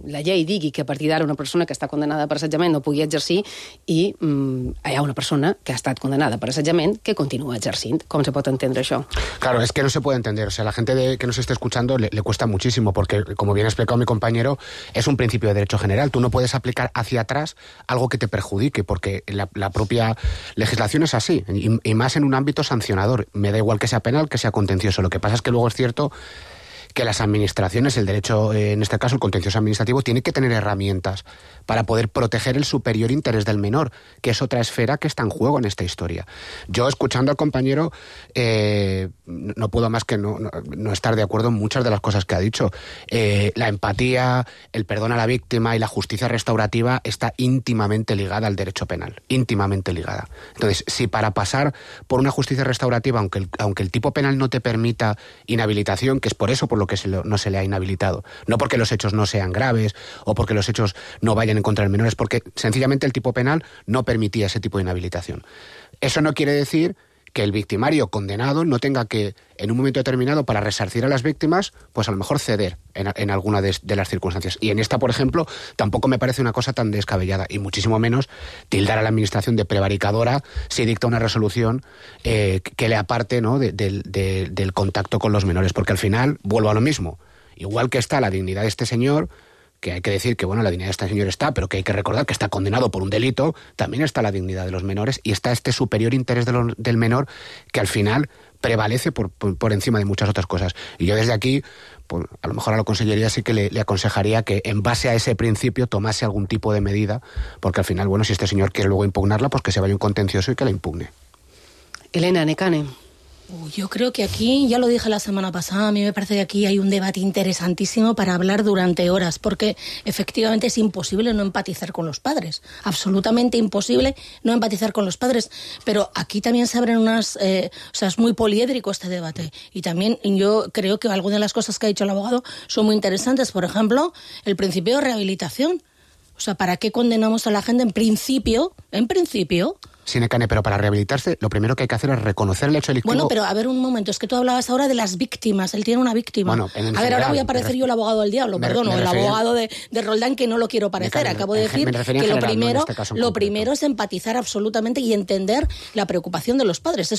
la llei digui que a partir d'ara una persona que està condenada per assetjament no pugui exercir i hi ha una persona que ha estat condenada per assetjament que continua exercint. Com se pot entendre això? Claro, es que no se puede entender. O sea, la gente que nos esté escuchando le cuesta muchísimo porque, como bien ha explicado mi compañero, es un principio de derecho general. Tú no puedes aplicar hacia atrás algo que te perjudique, porque la propia legislación es así, y más en un ámbito sancionador. Me da igual que sea penal, que sea contencioso. Lo que pasa es que luego es cierto que las administraciones, el derecho, en este caso el contencioso administrativo, tiene que tener herramientas para poder proteger el superior interés del menor, que es otra esfera que está en juego en esta historia. Yo, escuchando al compañero, no puedo más que no estar de acuerdo en muchas de las cosas que ha dicho. La empatía, el perdón a la víctima y la justicia restaurativa está íntimamente ligada al derecho penal, íntimamente ligada. Entonces, si para pasar por una justicia restaurativa, aunque el tipo penal no te permita inhabilitación, que es por eso por lo que no se le ha inhabilitado, no porque los hechos no sean graves o porque los hechos no vayan en contra del menor, es porque sencillamente el tipo penal no permitía ese tipo de inhabilitación. Eso no quiere decir que el victimario condenado no tenga que, en un momento determinado, para resarcir a las víctimas, pues a lo mejor ceder en alguna de las circunstancias. Y en esta, por ejemplo, tampoco me parece una cosa tan descabellada, y muchísimo menos tildar a la administración de prevaricadora si dicta una resolución que le aparte, ¿no?, del contacto con los menores, porque al final vuelvo a lo mismo. Igual que está la dignidad de este señor, que hay que decir que, bueno, la dignidad de este señor está, pero que hay que recordar que está condenado por un delito, también está la dignidad de los menores y está este superior interés del menor que al final prevalece por encima de muchas otras cosas. Y yo desde aquí, pues, a lo mejor a la Consellería sí que le aconsejaría que en base a ese principio tomase algún tipo de medida, porque al final, bueno, si este señor quiere luego impugnarla, pues que se vaya un contencioso y que la impugne. Elena, Necane. Yo creo que aquí, ya lo dije la semana pasada, a mí me parece que aquí hay un debate interesantísimo para hablar durante horas, porque efectivamente es imposible no empatizar con los padres, absolutamente imposible no empatizar con los padres, pero aquí también se abren unas... o sea, es muy poliédrico este debate, y también yo creo que algunas de las cosas que ha dicho el abogado son muy interesantes. Por ejemplo, el principio de rehabilitación. O sea, ¿para qué condenamos a la gente en principio? Sí, Necane, pero para rehabilitarse lo primero que hay que hacer es reconocer el hecho delictivo. Bueno, pero a ver un momento, es que tú hablabas ahora de las víctimas, él tiene una víctima. Bueno, a ver, ahora voy a parecer yo el abogado del diablo, o el abogado de Roldán, que no lo quiero parecer. Acabo de decir que lo primero es empatizar absolutamente y entender la preocupación de los padres.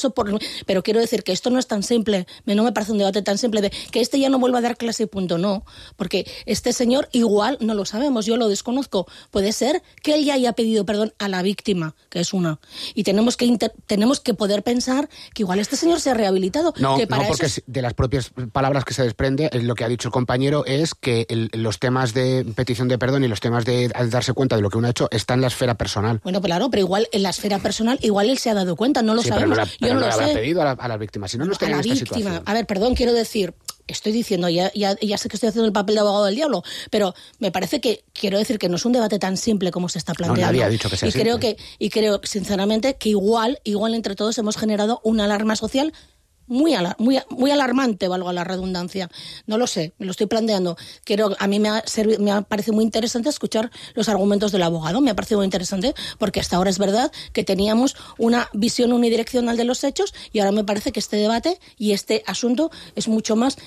Pero quiero decir que esto no es tan simple, no me parece un debate tan simple de que este ya no vuelva a dar clase y punto, no. Porque este señor igual, no lo sabemos, yo lo desconozco, puede ser que él ya haya pedido perdón a la víctima, que es una. Y tenemos que poder pensar que igual este señor se ha rehabilitado. No, que para porque de las propias palabras que se desprende, lo que ha dicho el compañero es que los temas de petición de perdón y los temas de darse cuenta de lo que uno ha hecho están en la esfera personal. Bueno, claro, pero igual en la esfera personal, igual él se ha dado cuenta, no lo sabemos. Yo no lo sé. Habrá pedido a las víctimas, si no, no estaría en esta situación. A ver, perdón, quiero decir... Estoy diciendo, ya sé que estoy haciendo el papel de abogado del diablo, pero me parece que, quiero decir que no es un debate tan simple como se está planteando. No, nadie ha dicho que sea simple. Creo, sinceramente, que igual entre todos hemos generado una alarma social muy alarmante, valga la redundancia. No lo sé, me lo estoy planteando. A mí me ha parecido muy interesante escuchar los argumentos del abogado, me ha parecido muy interesante, porque hasta ahora es verdad que teníamos una visión unidireccional de los hechos y ahora me parece que este debate y este asunto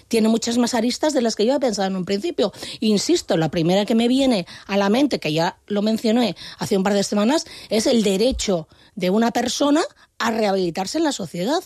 tiene muchas más aristas de las que yo había pensado en un principio. Insisto, la primera que me viene a la mente, que ya lo mencioné hace un par de semanas, es el derecho de una persona a rehabilitarse en la sociedad.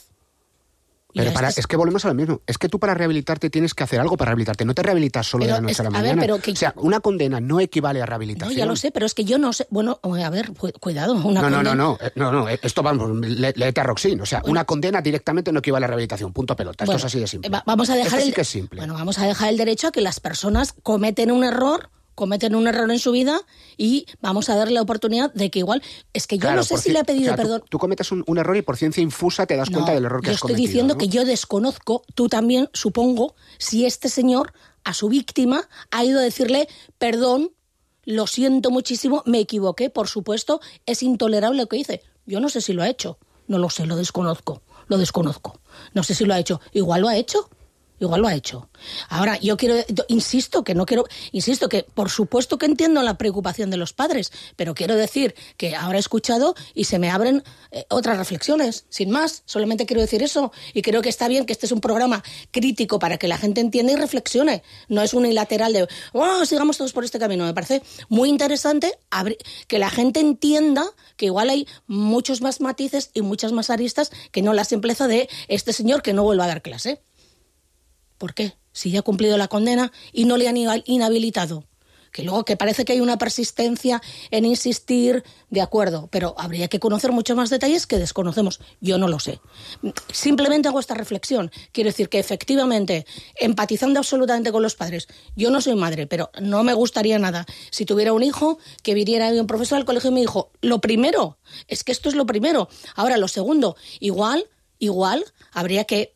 Pero es que volvemos a lo mismo. Es que tú para rehabilitarte tienes que hacer algo para rehabilitarte. No te rehabilitas solo de la noche a la mañana. O sea, una condena no equivale a rehabilitación. No, ya lo sé, pero es que yo no sé... Bueno, a ver, cuidado. No. Esto vamos, léete a Roxin. O sea, una condena directamente no equivale a rehabilitación. Punto pelota. Esto es así de simple. Vamos a dejar sí que es simple. Bueno, vamos a dejar el derecho a que las personas cometen un error en su vida y vamos a darle la oportunidad de que igual... Es que yo no sé si le he pedido perdón. Tú cometes un error y por ciencia infusa te das cuenta del error que has cometido. Yo estoy diciendo, ¿no? que yo desconozco, tú también, supongo, si este señor a su víctima ha ido a decirle perdón, lo siento muchísimo, me equivoqué, por supuesto, es intolerable lo que hice. Yo no sé si lo ha hecho, no lo sé, lo desconozco. No sé si lo ha hecho, igual lo ha hecho. Ahora, insisto que por supuesto que entiendo la preocupación de los padres, pero quiero decir que ahora he escuchado y se me abren otras reflexiones, sin más, solamente quiero decir eso, y creo que está bien que este es un programa crítico para que la gente entienda y reflexione, no es unilateral de, sigamos todos por este camino. Me parece muy interesante que la gente entienda que igual hay muchos más matices y muchas más aristas que no la simpleza de este señor que no vuelva a dar clase. ¿Por qué? Si ya ha cumplido la condena y no le han inhabilitado. Que luego que parece que hay una persistencia en insistir, de acuerdo, pero habría que conocer muchos más detalles que desconocemos. Yo no lo sé. Simplemente hago esta reflexión. Quiero decir que efectivamente, empatizando absolutamente con los padres, yo no soy madre, pero no me gustaría nada si tuviera un hijo que viniera un profesor al colegio y me dijo, lo primero, es que esto es lo primero. Ahora, lo segundo, igual habría que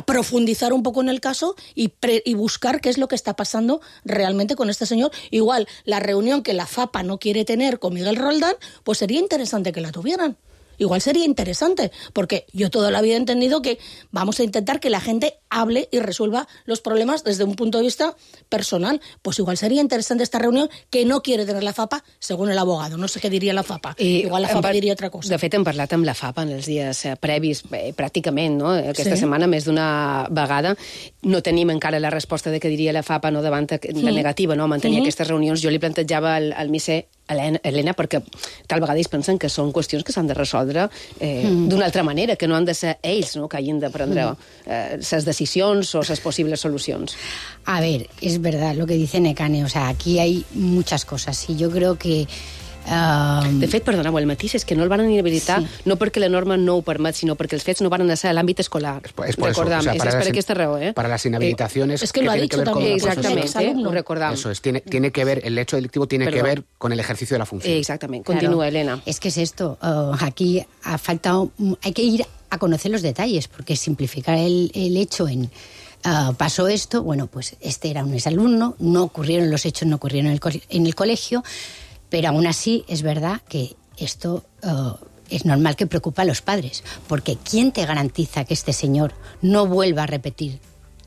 profundizar un poco en el caso y buscar qué es lo que está pasando realmente con este señor. Igual, la reunión que la FAPA no quiere tener con Miguel Roldán, pues sería interesante que la tuvieran. Igual sería interesante, porque yo toda la vida he entendido que vamos a intentar que la gente hable y resuelva los problemas desde un punto de vista personal. Pues igual sería interesante esta reunión que no quiere tener la FAPA, según el abogado. No sé què diria la FAPA. Igual la FAPA diria otra cosa. De fet, hem parlat amb la FAPA en els dies previs, pràcticament, no? Aquesta setmana, més d'una vegada. No tenim encara la resposta de què diria la FAPA, no, davant la negativa, no, a mantenir aquestes reunions. Jo li plantejava al misser Helena, perquè tal vegada ells pensen que són qüestions que s'han de resoldre d'una altra manera, que no han de ser ells, no, que hagin de prendre les decisions o les possibles solucions. A ver, es verdad lo que dice Nekane, o sea, aquí hay muchas cosas y yo creo que... De fet, perdoneu, el matís és que no el van inhabilitar no perquè la norma no ho permet, sinó perquè els fets no van ser a l'àmbit escolar. Recordam, és per aquesta raó. Para las inhabilitaciones... Es que lo ha dicho también. Exactamente, lo recordam. Eso es, tiene que ver, el hecho delictivo tiene que ver con el ejercicio de la función. Exactamente, continúa, Elena. Es que es esto, aquí ha faltado... Hay que ir a conocer los detalles, porque simplificar el hecho en... pasó esto, bueno, pues este era un exalumno, no ocurrieron los hechos, no ocurrieron en el colegio, pero aún así es verdad que esto es normal que preocupa a los padres, porque ¿quién te garantiza que este señor no vuelva a repetir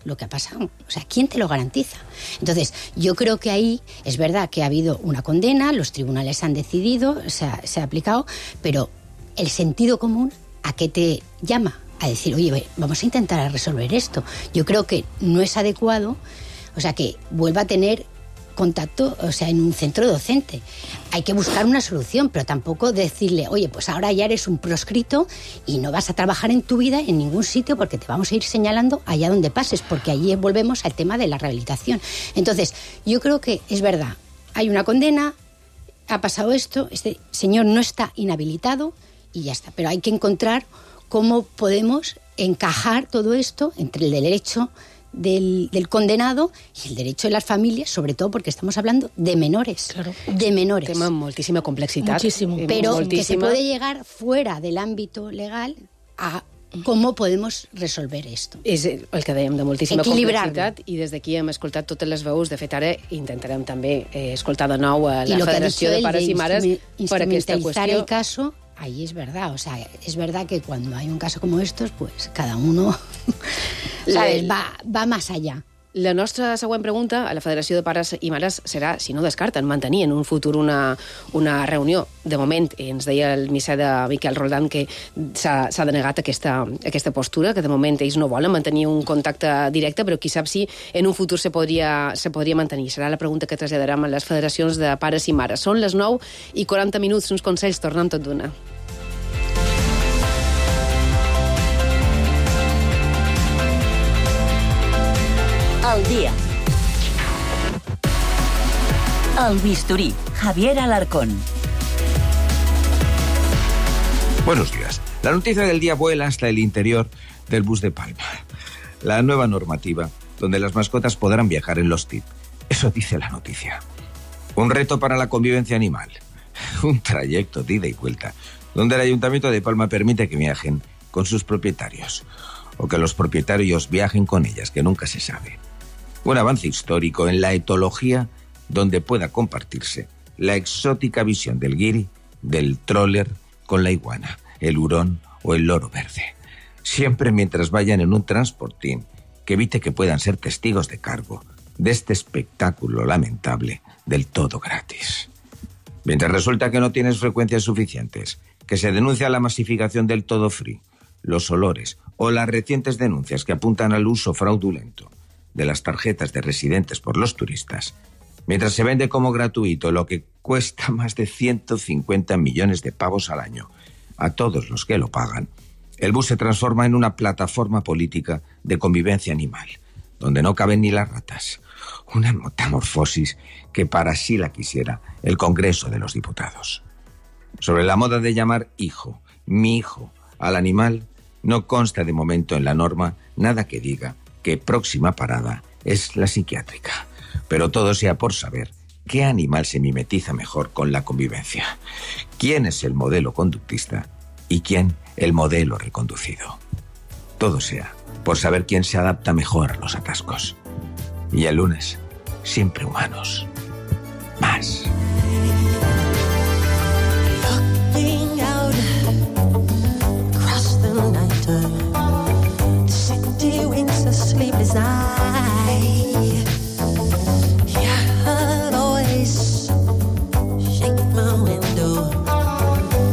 lo que ha pasado? O sea, ¿quién te lo garantiza? Entonces, yo creo que ahí es verdad que ha habido una condena, los tribunales han decidido, se ha aplicado, pero el sentido común, ¿a qué te llama? A decir, oye, vamos a intentar resolver esto. Yo creo que no es adecuado, o sea, que vuelva a tener contacto, o sea, en un centro docente. Hay que buscar una solución, pero tampoco decirle, oye, pues ahora ya eres un proscrito y no vas a trabajar en tu vida en ningún sitio porque te vamos a ir señalando allá donde pases, porque allí volvemos al tema de la rehabilitación. Entonces, yo creo que es verdad, hay una condena, ha pasado esto, este señor no está inhabilitado y ya está, pero hay que encontrar cómo podemos encajar todo esto entre el derecho del condenado y el derecho de las familias, sobre todo porque estamos hablando de menores. Claro. De menores. Tema amb moltíssima complexitat. Muchísimo. Pero que se puede llegar fuera del ámbito legal a com podemos resolver esto. És el que dèiem, de moltíssima complexitat, i des d'aquí hem escoltat totes les veus. De fet, ara intentarem també escoltar de nou a la Federació de Pares i Mares per aquesta qüestió. El caso ahí es verdad. O sea, es verdad que cuando hay un caso como estos, pues cada uno ¿sabes? Va más allá. La nostra següent pregunta a la Federació de Pares i Mares serà si no descarten mantenir en un futur una reunió. De moment, ens deia el misser de Miquel Roldán que s'ha denegat aquesta postura, que de moment ells no volen mantenir un contacte directe, però qui sap si en un futur se podria mantenir. Serà la pregunta que traslladarem a les federacions de pares i mares. Són les 9:40, uns consells, tornem tot d'una. Al día. El bisturí, Javier Alarcón. Buenos días. La noticia del día vuela hasta el interior del bus de Palma. La nueva normativa, donde las mascotas podrán viajar en los TIP. Eso dice la noticia. Un reto para la convivencia animal. Un trayecto de ida y vuelta, donde el Ayuntamiento de Palma permite que viajen con sus propietarios. O que los propietarios viajen con ellas, que nunca se sabe. Un avance histórico en la etología donde pueda compartirse la exótica visión del guiri, del troller con la iguana, el hurón o el loro verde. Siempre mientras vayan en un transportín que evite que puedan ser testigos de cargo de este espectáculo lamentable del todo gratis. Mientras resulta que no tienes frecuencias suficientes, que se denuncia la masificación del todo free, los olores o las recientes denuncias que apuntan al uso fraudulento de las tarjetas de residentes por los turistas, mientras se vende como gratuito lo que cuesta más de 150 millones de pavos al año a todos los que lo pagan, el bus se transforma en una plataforma política de convivencia animal, donde no caben ni las ratas. Una metamorfosis que para sí la quisiera el Congreso de los Diputados. Sobre la moda de llamar hijo, mi hijo, al animal, no consta de momento en la norma nada que diga que próxima parada es la psiquiátrica. Pero todo sea por saber qué animal se mimetiza mejor con la convivencia. ¿Quién es el modelo conductista y quién el modelo reconducido? Todo sea por saber quién se adapta mejor a los atascos. Y el lunes, siempre humanos. Más. Sleep as I always shake my window.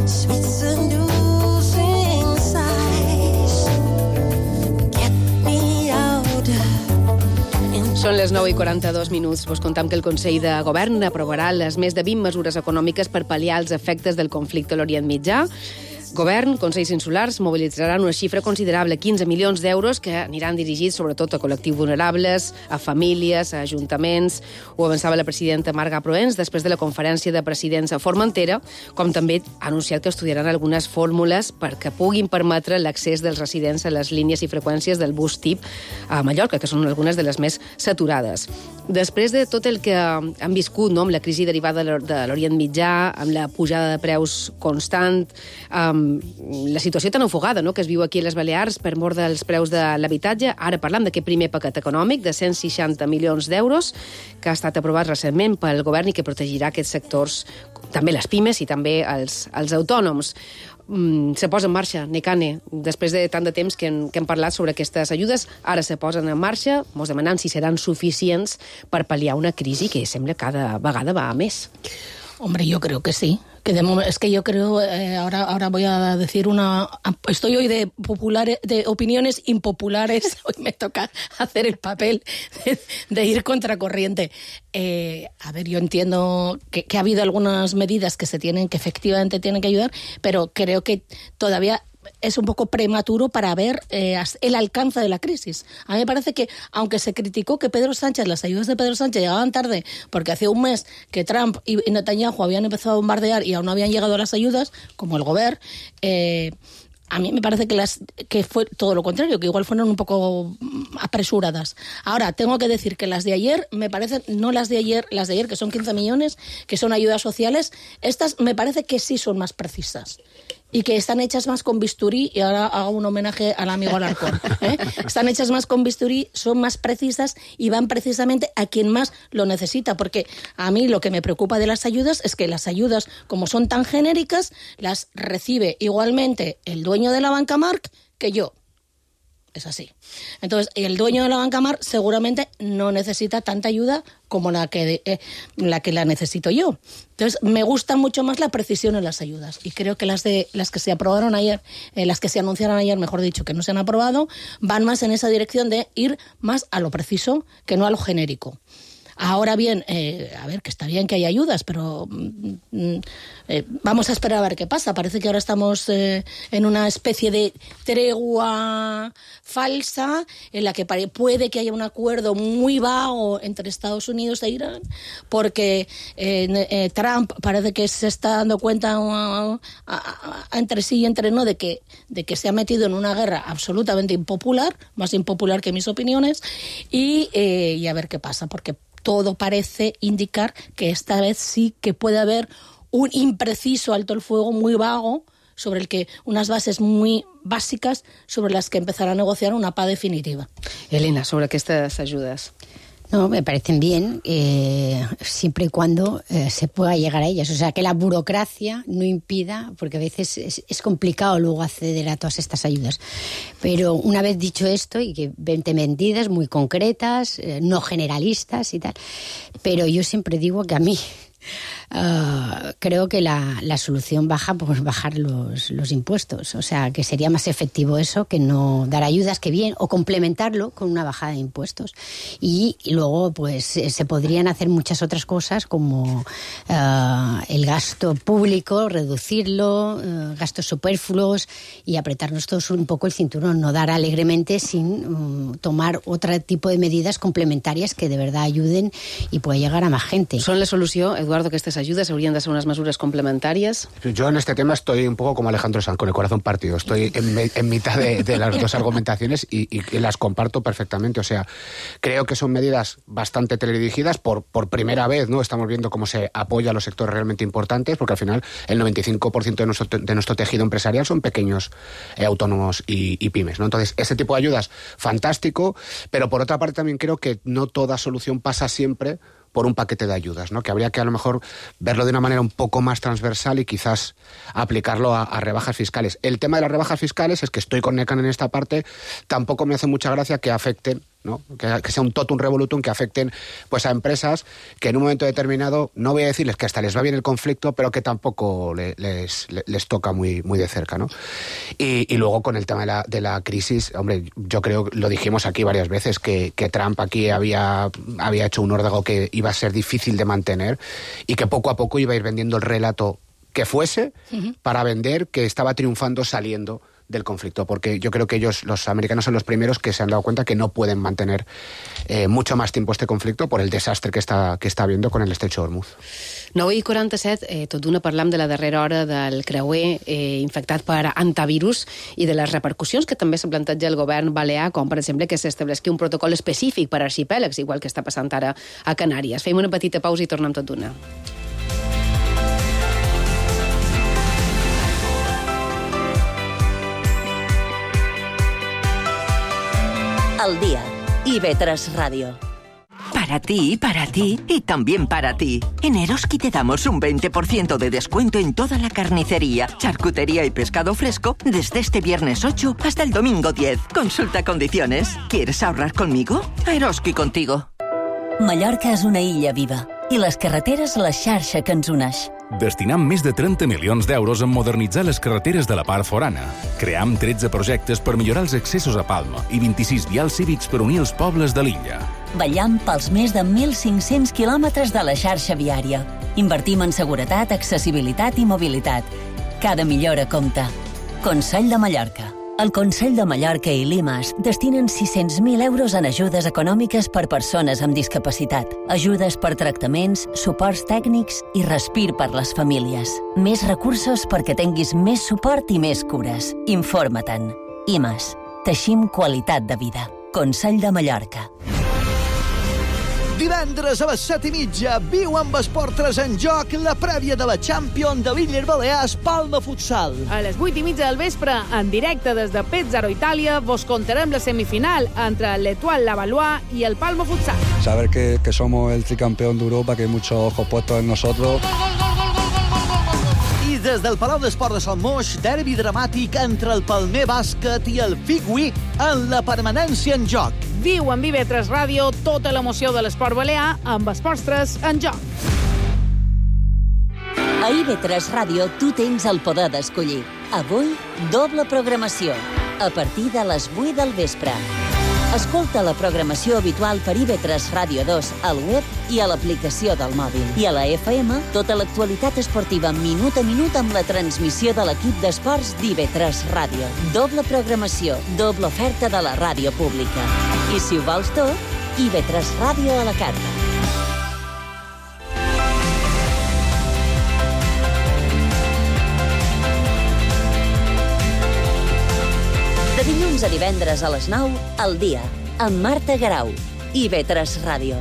Sweet seducing sighs get me out. Són les 9:42. Vos contam que el Consell de Govern aprovarà les més de 20 mesures econòmiques per pal·liar els efectes del conflicte a l'Orient Mitjà. Govern, Consells Insulars, mobilitzaran una xifra considerable, 15 milions d'euros, que aniran dirigits sobretot a col·lectius vulnerables, a famílies, a ajuntaments. Ho avançava la presidenta Marga Proens després de la conferència de presidents a Formentera, com també ha anunciat que estudiaran algunes fórmules perquè puguin permetre l'accés dels residents a les línies i freqüències del bus TIP a Mallorca, que són algunes de les més saturades. Després de tot el que han viscut, no, amb la crisi derivada de l'Orient Mitjà, amb la pujada de preus constant, la situació tan ofegada, no?, que es viu aquí a les Balears per mort dels preus de l'habitatge. Ara parlam d'aquest primer paquet econòmic de 160 milions d'euros que ha estat aprovat recentment pel govern i que protegirà aquests sectors, també les pimes i també els autònoms. Se posa en marxa, Necane, després de tant de temps que hem parlat sobre aquestes ajudes, ara se posen en marxa, mos demanem si seran suficients per pal·liar una crisi que sembla cada vegada va a més. Hombre, yo creo que sí. Es que yo creo, ahora voy a decir estoy hoy de opiniones impopulares, hoy me toca hacer el papel de ir contracorriente. A ver, yo entiendo que ha habido algunas medidas que efectivamente tienen que ayudar, pero creo que todavía es un poco prematuro para ver el alcance de la crisis. A mí me parece que, aunque se criticó que las ayudas de Pedro Sánchez llegaban tarde, porque hace un mes que Trump y Netanyahu habían empezado a bombardear y aún no habían llegado las ayudas, como el Gobierno, a mí me parece que fue todo lo contrario, que igual fueron un poco apresuradas. Ahora, tengo que decir que las de ayer, me parecen, no las de ayer, que son 15 millones, que son ayudas sociales, estas me parece que sí son más precisas. y que están hechas más con bisturí, y ahora hago un homenaje al amigo Alarcón, están hechas más con bisturí, son más precisas y van precisamente a quien más lo necesita, porque a mí lo que me preocupa de las ayudas es que las ayudas, como son tan genéricas, las recibe igualmente el dueño de la banca Marc que yo. Es así. Entonces, el dueño de la banca Marc seguramente no necesita tanta ayuda como la que la necesito yo. Entonces, me gusta mucho más la precisión en las ayudas. Y creo que las que se aprobaron ayer, las que se anunciaron ayer, mejor dicho, que no se han aprobado, van más en esa dirección de ir más a lo preciso que no a lo genérico. Ahora bien, a ver, que está bien que hay ayudas, pero vamos a esperar a ver qué pasa. Parece que ahora estamos en una especie de tregua falsa en la que puede que haya un acuerdo muy vago entre Estados Unidos e Irán, porque Trump parece que se está dando cuenta entre sí y entre no de que se ha metido en una guerra absolutamente impopular, más impopular que mis opiniones, y a ver qué pasa, porque todo parece indicar que esta vez sí que puede haber un impreciso alto el fuego muy vago, sobre el que unas bases muy bàsiques sobre las que empezará a negociar una paz definitiva. Elena, sobre aquestes ayudas. No, me parecen bien, siempre y cuando se pueda llegar a ellas. O sea, que la burocracia no impida, porque a veces es complicado luego acceder a todas estas ayudas. Pero una vez dicho esto, y que vente medidas muy concretas, no generalistas y tal, pero yo siempre digo que a mí creo que la solución baja por bajar los impuestos. O sea, que sería más efectivo eso que no dar ayudas, que bien, o complementarlo con una bajada de impuestos. Y luego, pues, se podrían hacer muchas otras cosas, como el gasto público, reducirlo, gastos superfluos, y apretarnos todos un poco el cinturón, no dar alegremente sin tomar otro tipo de medidas complementarias que de verdad ayuden y pueda llegar a más gente. ¿Son la solución, Eduardo, que estas ayudas habrían de ser unas mesures complementarias? Yo en este tema estoy un poco como Alejandro Sanz, con el corazón partido. Estoy en mitad de las dos argumentaciones y las comparto perfectamente. O sea, creo que son medidas bastante teledirigidas. Por primera vez, ¿no? Estamos viendo cómo se apoya a los sectores realmente importantes, porque al final el 95% de nuestro tejido empresarial son pequeños autónomos y pymes, ¿no? Entonces, ese tipo de ayudas, fantástico, pero por otra parte también creo que no toda solución pasa siempre por un paquete de ayudas, ¿no? Que habría que a lo mejor verlo de una manera un poco más transversal y quizás aplicarlo a rebajas fiscales. El tema de las rebajas fiscales es que estoy con Necan en esta parte, tampoco me hace mucha gracia que afecten, ¿no? Que sea un totum revolutum, que afecten pues a empresas que en un momento determinado, no voy a decirles que hasta les va bien el conflicto, pero que tampoco les toca muy de cerca, ¿no? Y luego con el tema de la crisis, hombre, yo creo, lo dijimos aquí varias veces, que Trump aquí había hecho un órdago que iba a ser difícil de mantener y que poco a poco iba a ir vendiendo el relato que fuese para vender que estaba triunfando saliendo del conflicto, porque yo creo que ellos, los americanos, son los primeros que se han dado cuenta que no pueden mantener mucho más tiempo este conflicto por el desastre que está habiendo con el estrecho de Hormuz. 9:47, tot d'una parlam de la darrera hora del creuer infectat per antivirus i de les repercussions que també s'ha plantejat el govern balear, com per exemple que s'estableixi un protocol específic per arxipèlags, igual que està passant ara a Canàries. Fem una petita pausa i tornem tot d'una. Al día. IB3 Radio. Para ti y también para ti. En Eroski te damos un 20% de descuento en toda la carnicería, charcutería y pescado fresco desde este viernes 8 hasta el domingo 10. Consulta condiciones. ¿Quieres ahorrar conmigo? Eroski contigo. Mallorca és una illa viva i les carreteres la xarxa que ens uneix. Destinam més de 30 milions d'euros en modernitzar les carreteres de la part forana. Cream 13 projectes per millorar els accessos a Palma i 26 vials cívics per unir els pobles de l'illa. Vetllam pels més de 1.500 quilòmetres de la xarxa viària. Invertim en seguretat, accessibilitat i mobilitat. Cada millora compta. Consell de Mallorca. El Consell de Mallorca i Limas destinen 600.000 euros en ajudes econòmiques per persones amb discapacitat, ajudes per tractaments, suports tècnics i respir per les famílies. Més recursos perquè tinguis més suport i més cures. Informa-te'n. IMAS. Teixim qualitat de vida. Consell de Mallorca. Divendres a les 7:30 viu amb Esport 3 en joc la prèvia de la Champions de l'Illes Balears Palma Futsal. A les 8:30 del vespre, en directe des de Pesaro, Itàlia, vos contarem la semifinal entre l'Etoile Lavallois i el Palma Futsal. Saber que somos el tricampeón de Europa, que hay muchos ojos puestos en nosotros. I des del Palau d'Esport de Sant Moix, derbi dramàtic entre el Palmer Bàsquet i el Figui en la permanència en joc. Viu en IB3 Ràdio tota l'emoció de l'esport balear amb Esports 3 en joc. A IB3 Ràdio tu tens el poder d'escollir. Avui, doble programació, a partir de les 8 del vespre. Escolta la programació habitual per IB3 Ràdio 2 al web i a l'aplicació del mòbil. I a la FM, tota l'actualitat esportiva minut a minut amb la transmissió de l'equip d'esports d'IB3 Ràdio. Doble programació, doble oferta de la ràdio pública. I si ho vols tot, IB3 Ràdio a la carta. De dilluns a divendres a les 9, al dia, amb Marta Garau, IB3 Ràdio.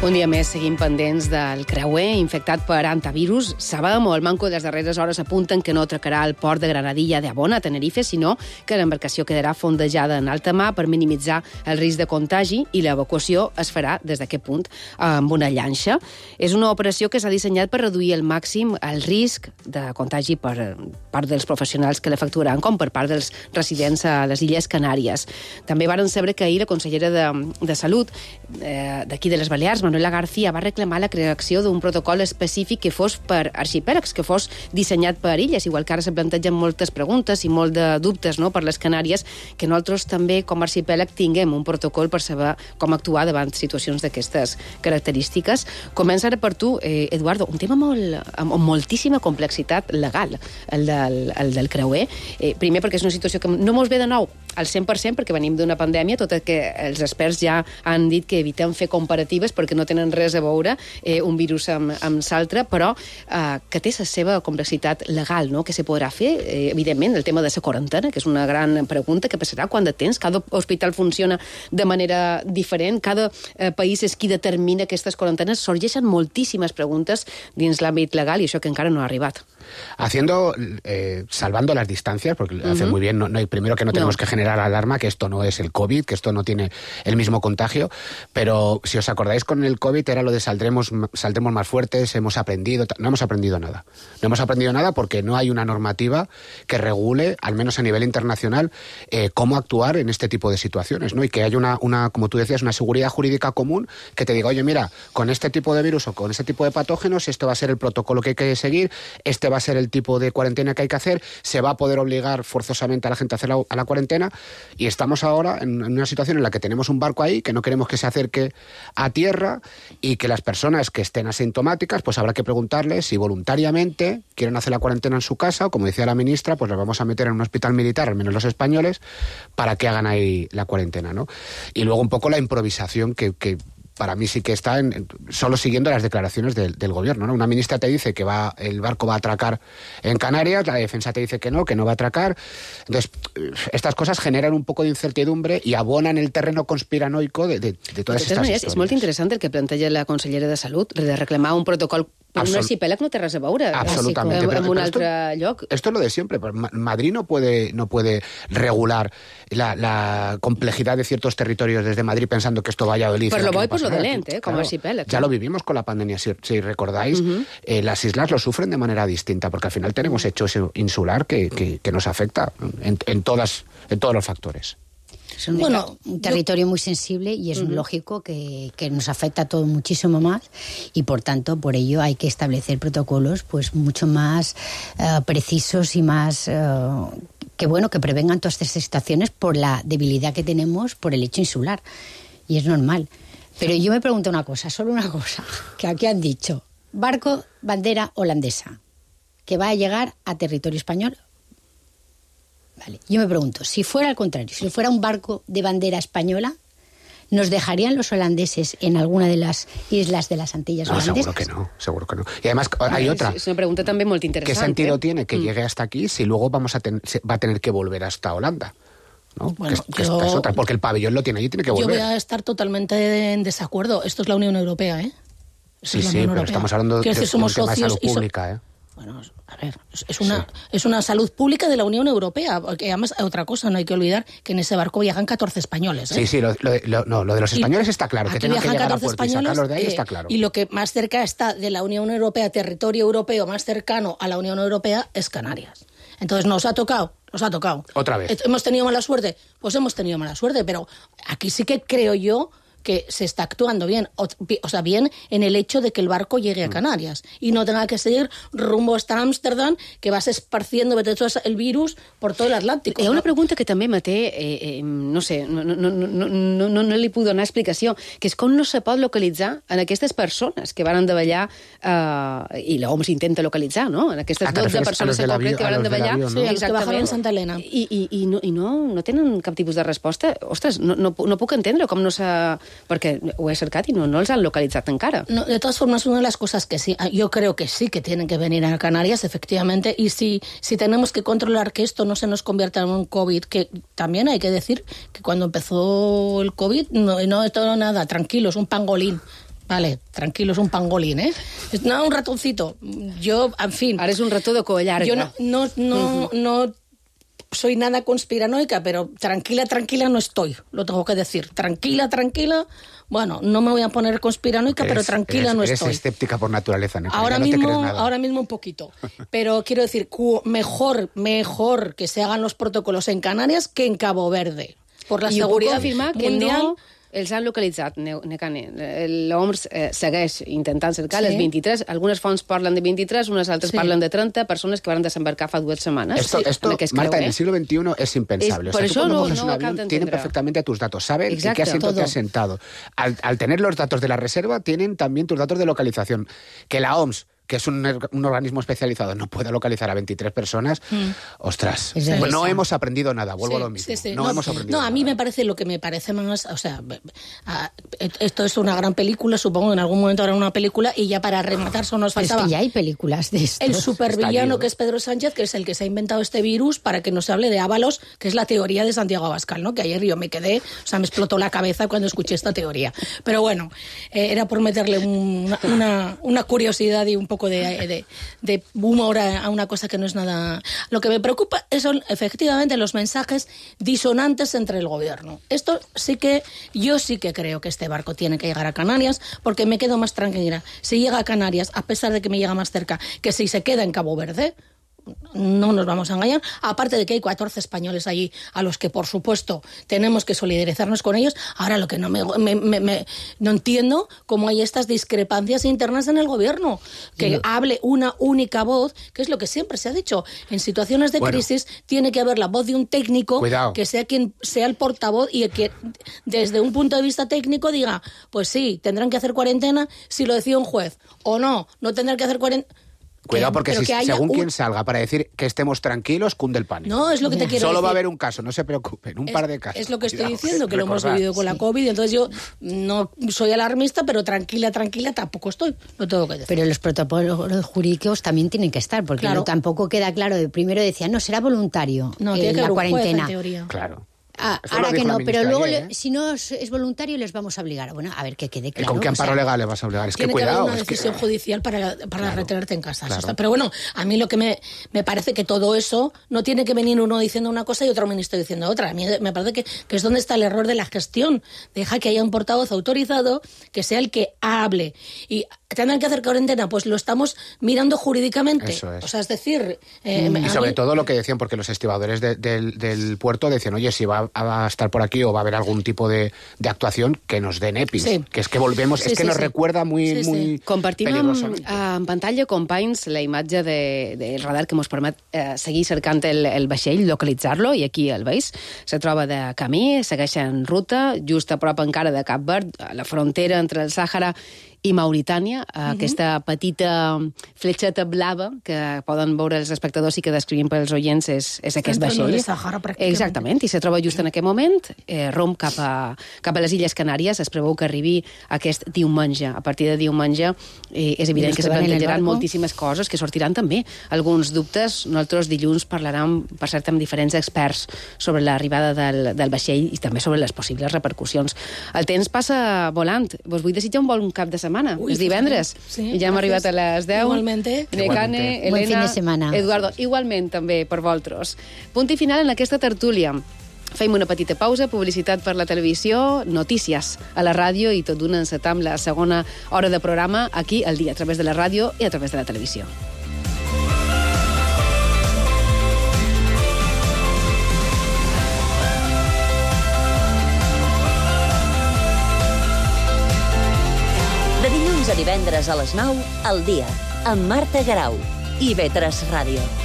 Un dia més seguim pendents del creuer infectat per antivirus. Sabem, o el manco de les darreres hores apunten que no atracarà el port de Granadilla de Abona, a Tenerife, sinó que l'embarcació quedarà fondejada en alta mar per minimitzar el risc de contagi i l'evacuació es farà des d'aquest punt amb una llanxa. És una operació que s'ha dissenyat per reduir al màxim el risc de contagi per part dels professionals que l'efectuaran, com per part dels residents a les Illes Canàries. També varen saber que ahir la consellera de Salut d'aquí de les Balears, Manuela García, va reclamar la creació d'un protocol específic que fos per arxipèlags, que fos dissenyat per illes, igual que ara se plantegen moltes preguntes i molt de dubtes, no?, per les Canàries, que nosaltres també, com a arxipèlag, tinguem un protocol per saber com actuar davant situacions d'aquestes característiques. Comença ara per tu, Eduardo, un tema amb moltíssima complexitat legal, el del creuer. Primer, perquè és una situació que no mos ve de nou al 100%, perquè venim d'una pandèmia, tot i que els experts ja han dit que evitem fer comparatives perquè no tenen res a veure un virus amb l'altre, però que té la seva complexitat legal, no?, que se podrà fer. Evidentment, el tema de la quarantena, que és una gran pregunta, que passarà quan de temps, cada hospital funciona de manera diferent, cada país és qui determina aquestes quarantenes, sorgeixen moltíssimes preguntes dins l'àmbit legal i això que encara no ha arribat. Salvando las distancias, porque hace muy bien, primero que no tenemos que generar alarma, que esto no es el COVID, que esto no tiene el mismo contagio, pero si os acordáis, con el COVID era lo de saldremos más fuertes, hemos aprendido. No hemos aprendido nada. No hemos aprendido nada porque no hay una normativa que regule, al menos a nivel internacional, cómo actuar en este tipo de situaciones, ¿no? Y que haya una, como tú decías, una seguridad jurídica común que te diga, oye, mira, con este tipo de virus o con este tipo de patógenos, esto va a ser el protocolo que hay que seguir, este va a ser el tipo de cuarentena que hay que hacer, se va a poder obligar forzosamente a la gente a hacer la cuarentena, y estamos ahora en una situación en la que tenemos un barco ahí que no queremos que se acerque a tierra y que las personas que estén asintomáticas, pues habrá que preguntarles si voluntariamente quieren hacer la cuarentena en su casa, o como decía la ministra, pues las vamos a meter en un hospital militar, al menos los españoles, para que hagan ahí la cuarentena, ¿no? Y luego un poco la improvisación que para mí sí que está solo siguiendo las declaraciones del gobierno, ¿no? Una ministra te dice que el barco va a atracar en Canarias, la defensa te dice que no va a atracar. Entonces, estas cosas generan un poco de incertidumbre y abonan el terreno conspiranoico de todas estas historias. És molt interessant el que planteja la consellera de Salut, de reclamar un protocol. Però un arxipèlag no té res a veure amb un altre lloc. Esto es lo de siempre. Madrid no puede regular la complejidad de ciertos territorios desde Madrid pensando que esto vaya a Valladolid. Per lo bo i per lo dolent, com a arxipèlag. Ya lo vivimos con la pandemia, si recordáis. Las islas lo sufren de manera distinta, porque al final tenemos hecho ese insular que nos afecta en todos los factores. Es un territorio muy sensible y es lógico que nos afecta a todos muchísimo más, y por tanto por ello hay que establecer protocolos pues mucho más precisos y más que prevengan todas estas situaciones por la debilidad que tenemos por el hecho insular, y es normal. Pero yo me pregunto solo una cosa, que aquí han dicho, barco bandera holandesa, que va a llegar a territorio español. Vale. Yo me pregunto, si fuera al contrario, si fuera un barco de bandera española, ¿nos dejarían los holandeses en alguna de las islas de las Antillas holandesas? Seguro que no. Y además hay otra. Es una pregunta también muy interesante. ¿Qué sentido tiene que llegue hasta aquí si luego va a tener que volver hasta Holanda? ¿no? Bueno, que es otra, porque el pabellón lo tiene allí, tiene que volver. Yo voy a estar totalmente en desacuerdo. Esto es la Unión Europea, ¿eh? Sí, pero estamos hablando de un tema de salud pública, ¿eh? Bueno, a ver, es una salud pública de la Unión Europea, porque además otra cosa, no hay que olvidar que en ese barco viajan 14 españoles, ¿eh? Sí, lo de los españoles está claro, que tienen que llegar a puerto y sacarlos de ahí está claro. Y lo que más cerca está de la Unión Europea, territorio europeo más cercano a la Unión Europea, es Canarias. Entonces, nos ha tocado. Otra vez. ¿Hemos tenido mala suerte? Pues hemos tenido mala suerte, pero aquí sí que creo yo que se está actuando bien, o sea, bien en el hecho de que el barco llegue a Canarias y no tenga que seguir rumbo hasta Ámsterdam, que vas esparciendo el virus por todo el Atlàntic. Hi ha una pregunta que també me té, no sé, no li puc donar explicació, que és com no se pot localitzar en aquestes persones que van davallar, i l'OMS intenta localitzar, no? En aquestes 12 persones en concret que van davallar. Sí, els que bajaven Santa Elena. I no tenen cap tipus de resposta. Ostres, no puc entendre com no s'ha... Porque ho he cercat y no els han localizado encara. No, de todas formas, una de las cosas que sí, yo creo que sí que tienen que venir a Canarias, efectivamente, y si tenemos que controlar que esto no se nos convierta en un COVID, que también hay que decir que cuando empezó el COVID no todo nada, tranquilos, un pangolín. Vale, tranquilos, un pangolín, ¿eh? No, un ratoncito. Yo, en fin... Ara és un rató de coll llarga. Yo no soy nada conspiranoica, pero tranquila no estoy, lo tengo que decir. Tranquila, bueno, no me voy a poner conspiranoica, pero tranquila no estoy. Eres escéptica por naturaleza, ¿no? Ahora mismo un poquito. Pero quiero decir, mejor que se hagan los protocolos en Canarias que en Cabo Verde. Por la seguridad mundial... Que no els han localitzat, Necane. L'OMS segueix intentant cercar les 23. Algunes fonts parlen de 23, unes altres parlen de 30 persones que van desembarcar fa 2 semanas. Esto Marta, en el siglo XXI es impensable. Por eso no tienen perfectamente tus datos, saben en qué asiento te has sentado. Al tener los datos de la reserva, tienen también tus datos de localización. Que la OMS, que es un organismo especializado, no pueda localizar a 23 personas, ostras, pues no hemos aprendido nada, vuelvo a lo mismo. No hemos aprendido nada. A mí me parece lo que me parece más, o sea, esto es una gran película, supongo que en algún momento habrá una película, y ya para rematar solo nos faltaba... Es que ya hay películas de esto. El supervillano que es Pedro Sánchez, que es el que se ha inventado este virus para que no se hable de Ábalos, que es la teoría de Santiago Abascal, ¿no? Que ayer yo me quedé, o sea, me explotó la cabeza cuando escuché esta teoría. Pero bueno, era por meterle una curiosidad y un poco de humor a una cosa que no es nada... Lo que me preocupa son efectivamente los mensajes disonantes entre el gobierno. Esto yo sí que creo que este barco tiene que llegar a Canarias, porque me quedo más tranquila. Si llega a Canarias, a pesar de que me llega más cerca, que si se queda en Cabo Verde, no nos vamos a engañar, aparte de que hay 14 españoles allí a los que, por supuesto, tenemos que solidarizarnos con ellos. Ahora, lo que no entiendo cómo hay estas discrepancias internas en el gobierno, que hable una única voz, que es lo que siempre se ha dicho. En situaciones de crisis tiene que haber la voz de un técnico, que sea quien sea el portavoz, y que desde un punto de vista técnico diga, pues sí, tendrán que hacer cuarentena si lo decide un juez, o no tendrán que hacer cuarentena. Cuidado, porque según quien salga para decir que estemos tranquilos, cunde el pánico. No, es lo que te quiero decir. Solo va a haber un caso, no se preocupen, un par de casos. Es lo que estoy diciendo, que lo hemos vivido con la COVID, entonces yo no soy alarmista, pero tranquila tampoco estoy, lo tengo que decir. Pero los protocolos jurídicos también tienen que estar, porque tampoco queda claro. Primero decían, no, será voluntario tiene que la haber cuarentena. Un juez, en teoría. Claro. Ahora que no, pero luego si no es voluntario les vamos a obligar. Bueno, a ver que quede claro. ¿Con qué amparo legal le vas a obligar? Es que cuidado. Tiene que haber una decisión judicial para retenerte en casa. Claro. Pero bueno, a mí lo que me parece que todo eso no tiene que venir uno diciendo una cosa y otro ministro diciendo otra. A mí me parece que es donde está el error de la gestión. Deja que haya un portavoz autorizado que sea el que hable. Y tendrán que hacer cuarentena, pues lo estamos mirando jurídicamente. Eso es. O sea, es decir... y sobre todo lo que decían, porque los estibadores del puerto decían, oye, si va a estar por aquí o va a haber algún tipo de actuación, que nos den EPIs. Que es que volvemos, nos recuerda muy Compartim peligrosamente. en pantalla, companys, la imatge del radar que ens permet seguir cercant el vaixell, localitzar-lo, i aquí el veus. Se troba de camí, segueix en ruta, just a prop encara de Cap Verd, a la frontera entre el Sàhara i Mauritània, aquesta petita fletxeta blava que poden veure els espectadors i que descrivim pels oients és aquest vaixell. Exactament, i se troba just en aquest moment, romp cap a les Illes Canàries. Es preveu que arribi aquest diumenge. A partir de diumenge és evident que se plantejaran moltíssimes coses, que sortiran també alguns dubtes. Nosaltres dilluns parlarem, per cert, amb diferents experts sobre l'arribada del vaixell i també sobre les possibles repercussions. El temps passa volant. Vos vull desitjar un bon cap de setmana. És divendres. Sí, ja hem arribat a les 10. Igualmente. Necane, Elena, buen fin de semana. Eduardo, igualment també per vosaltres. Punt i final en aquesta tertúlia. Fem una petita pausa, publicitat per la televisió, notícies a la ràdio i tot d'una encetam la segona hora de programa aquí al dia, a través de la ràdio i a través de la televisió. De dilluns a divendres a les 9, al dia, amb Marta Garau i IB3 Ràdio.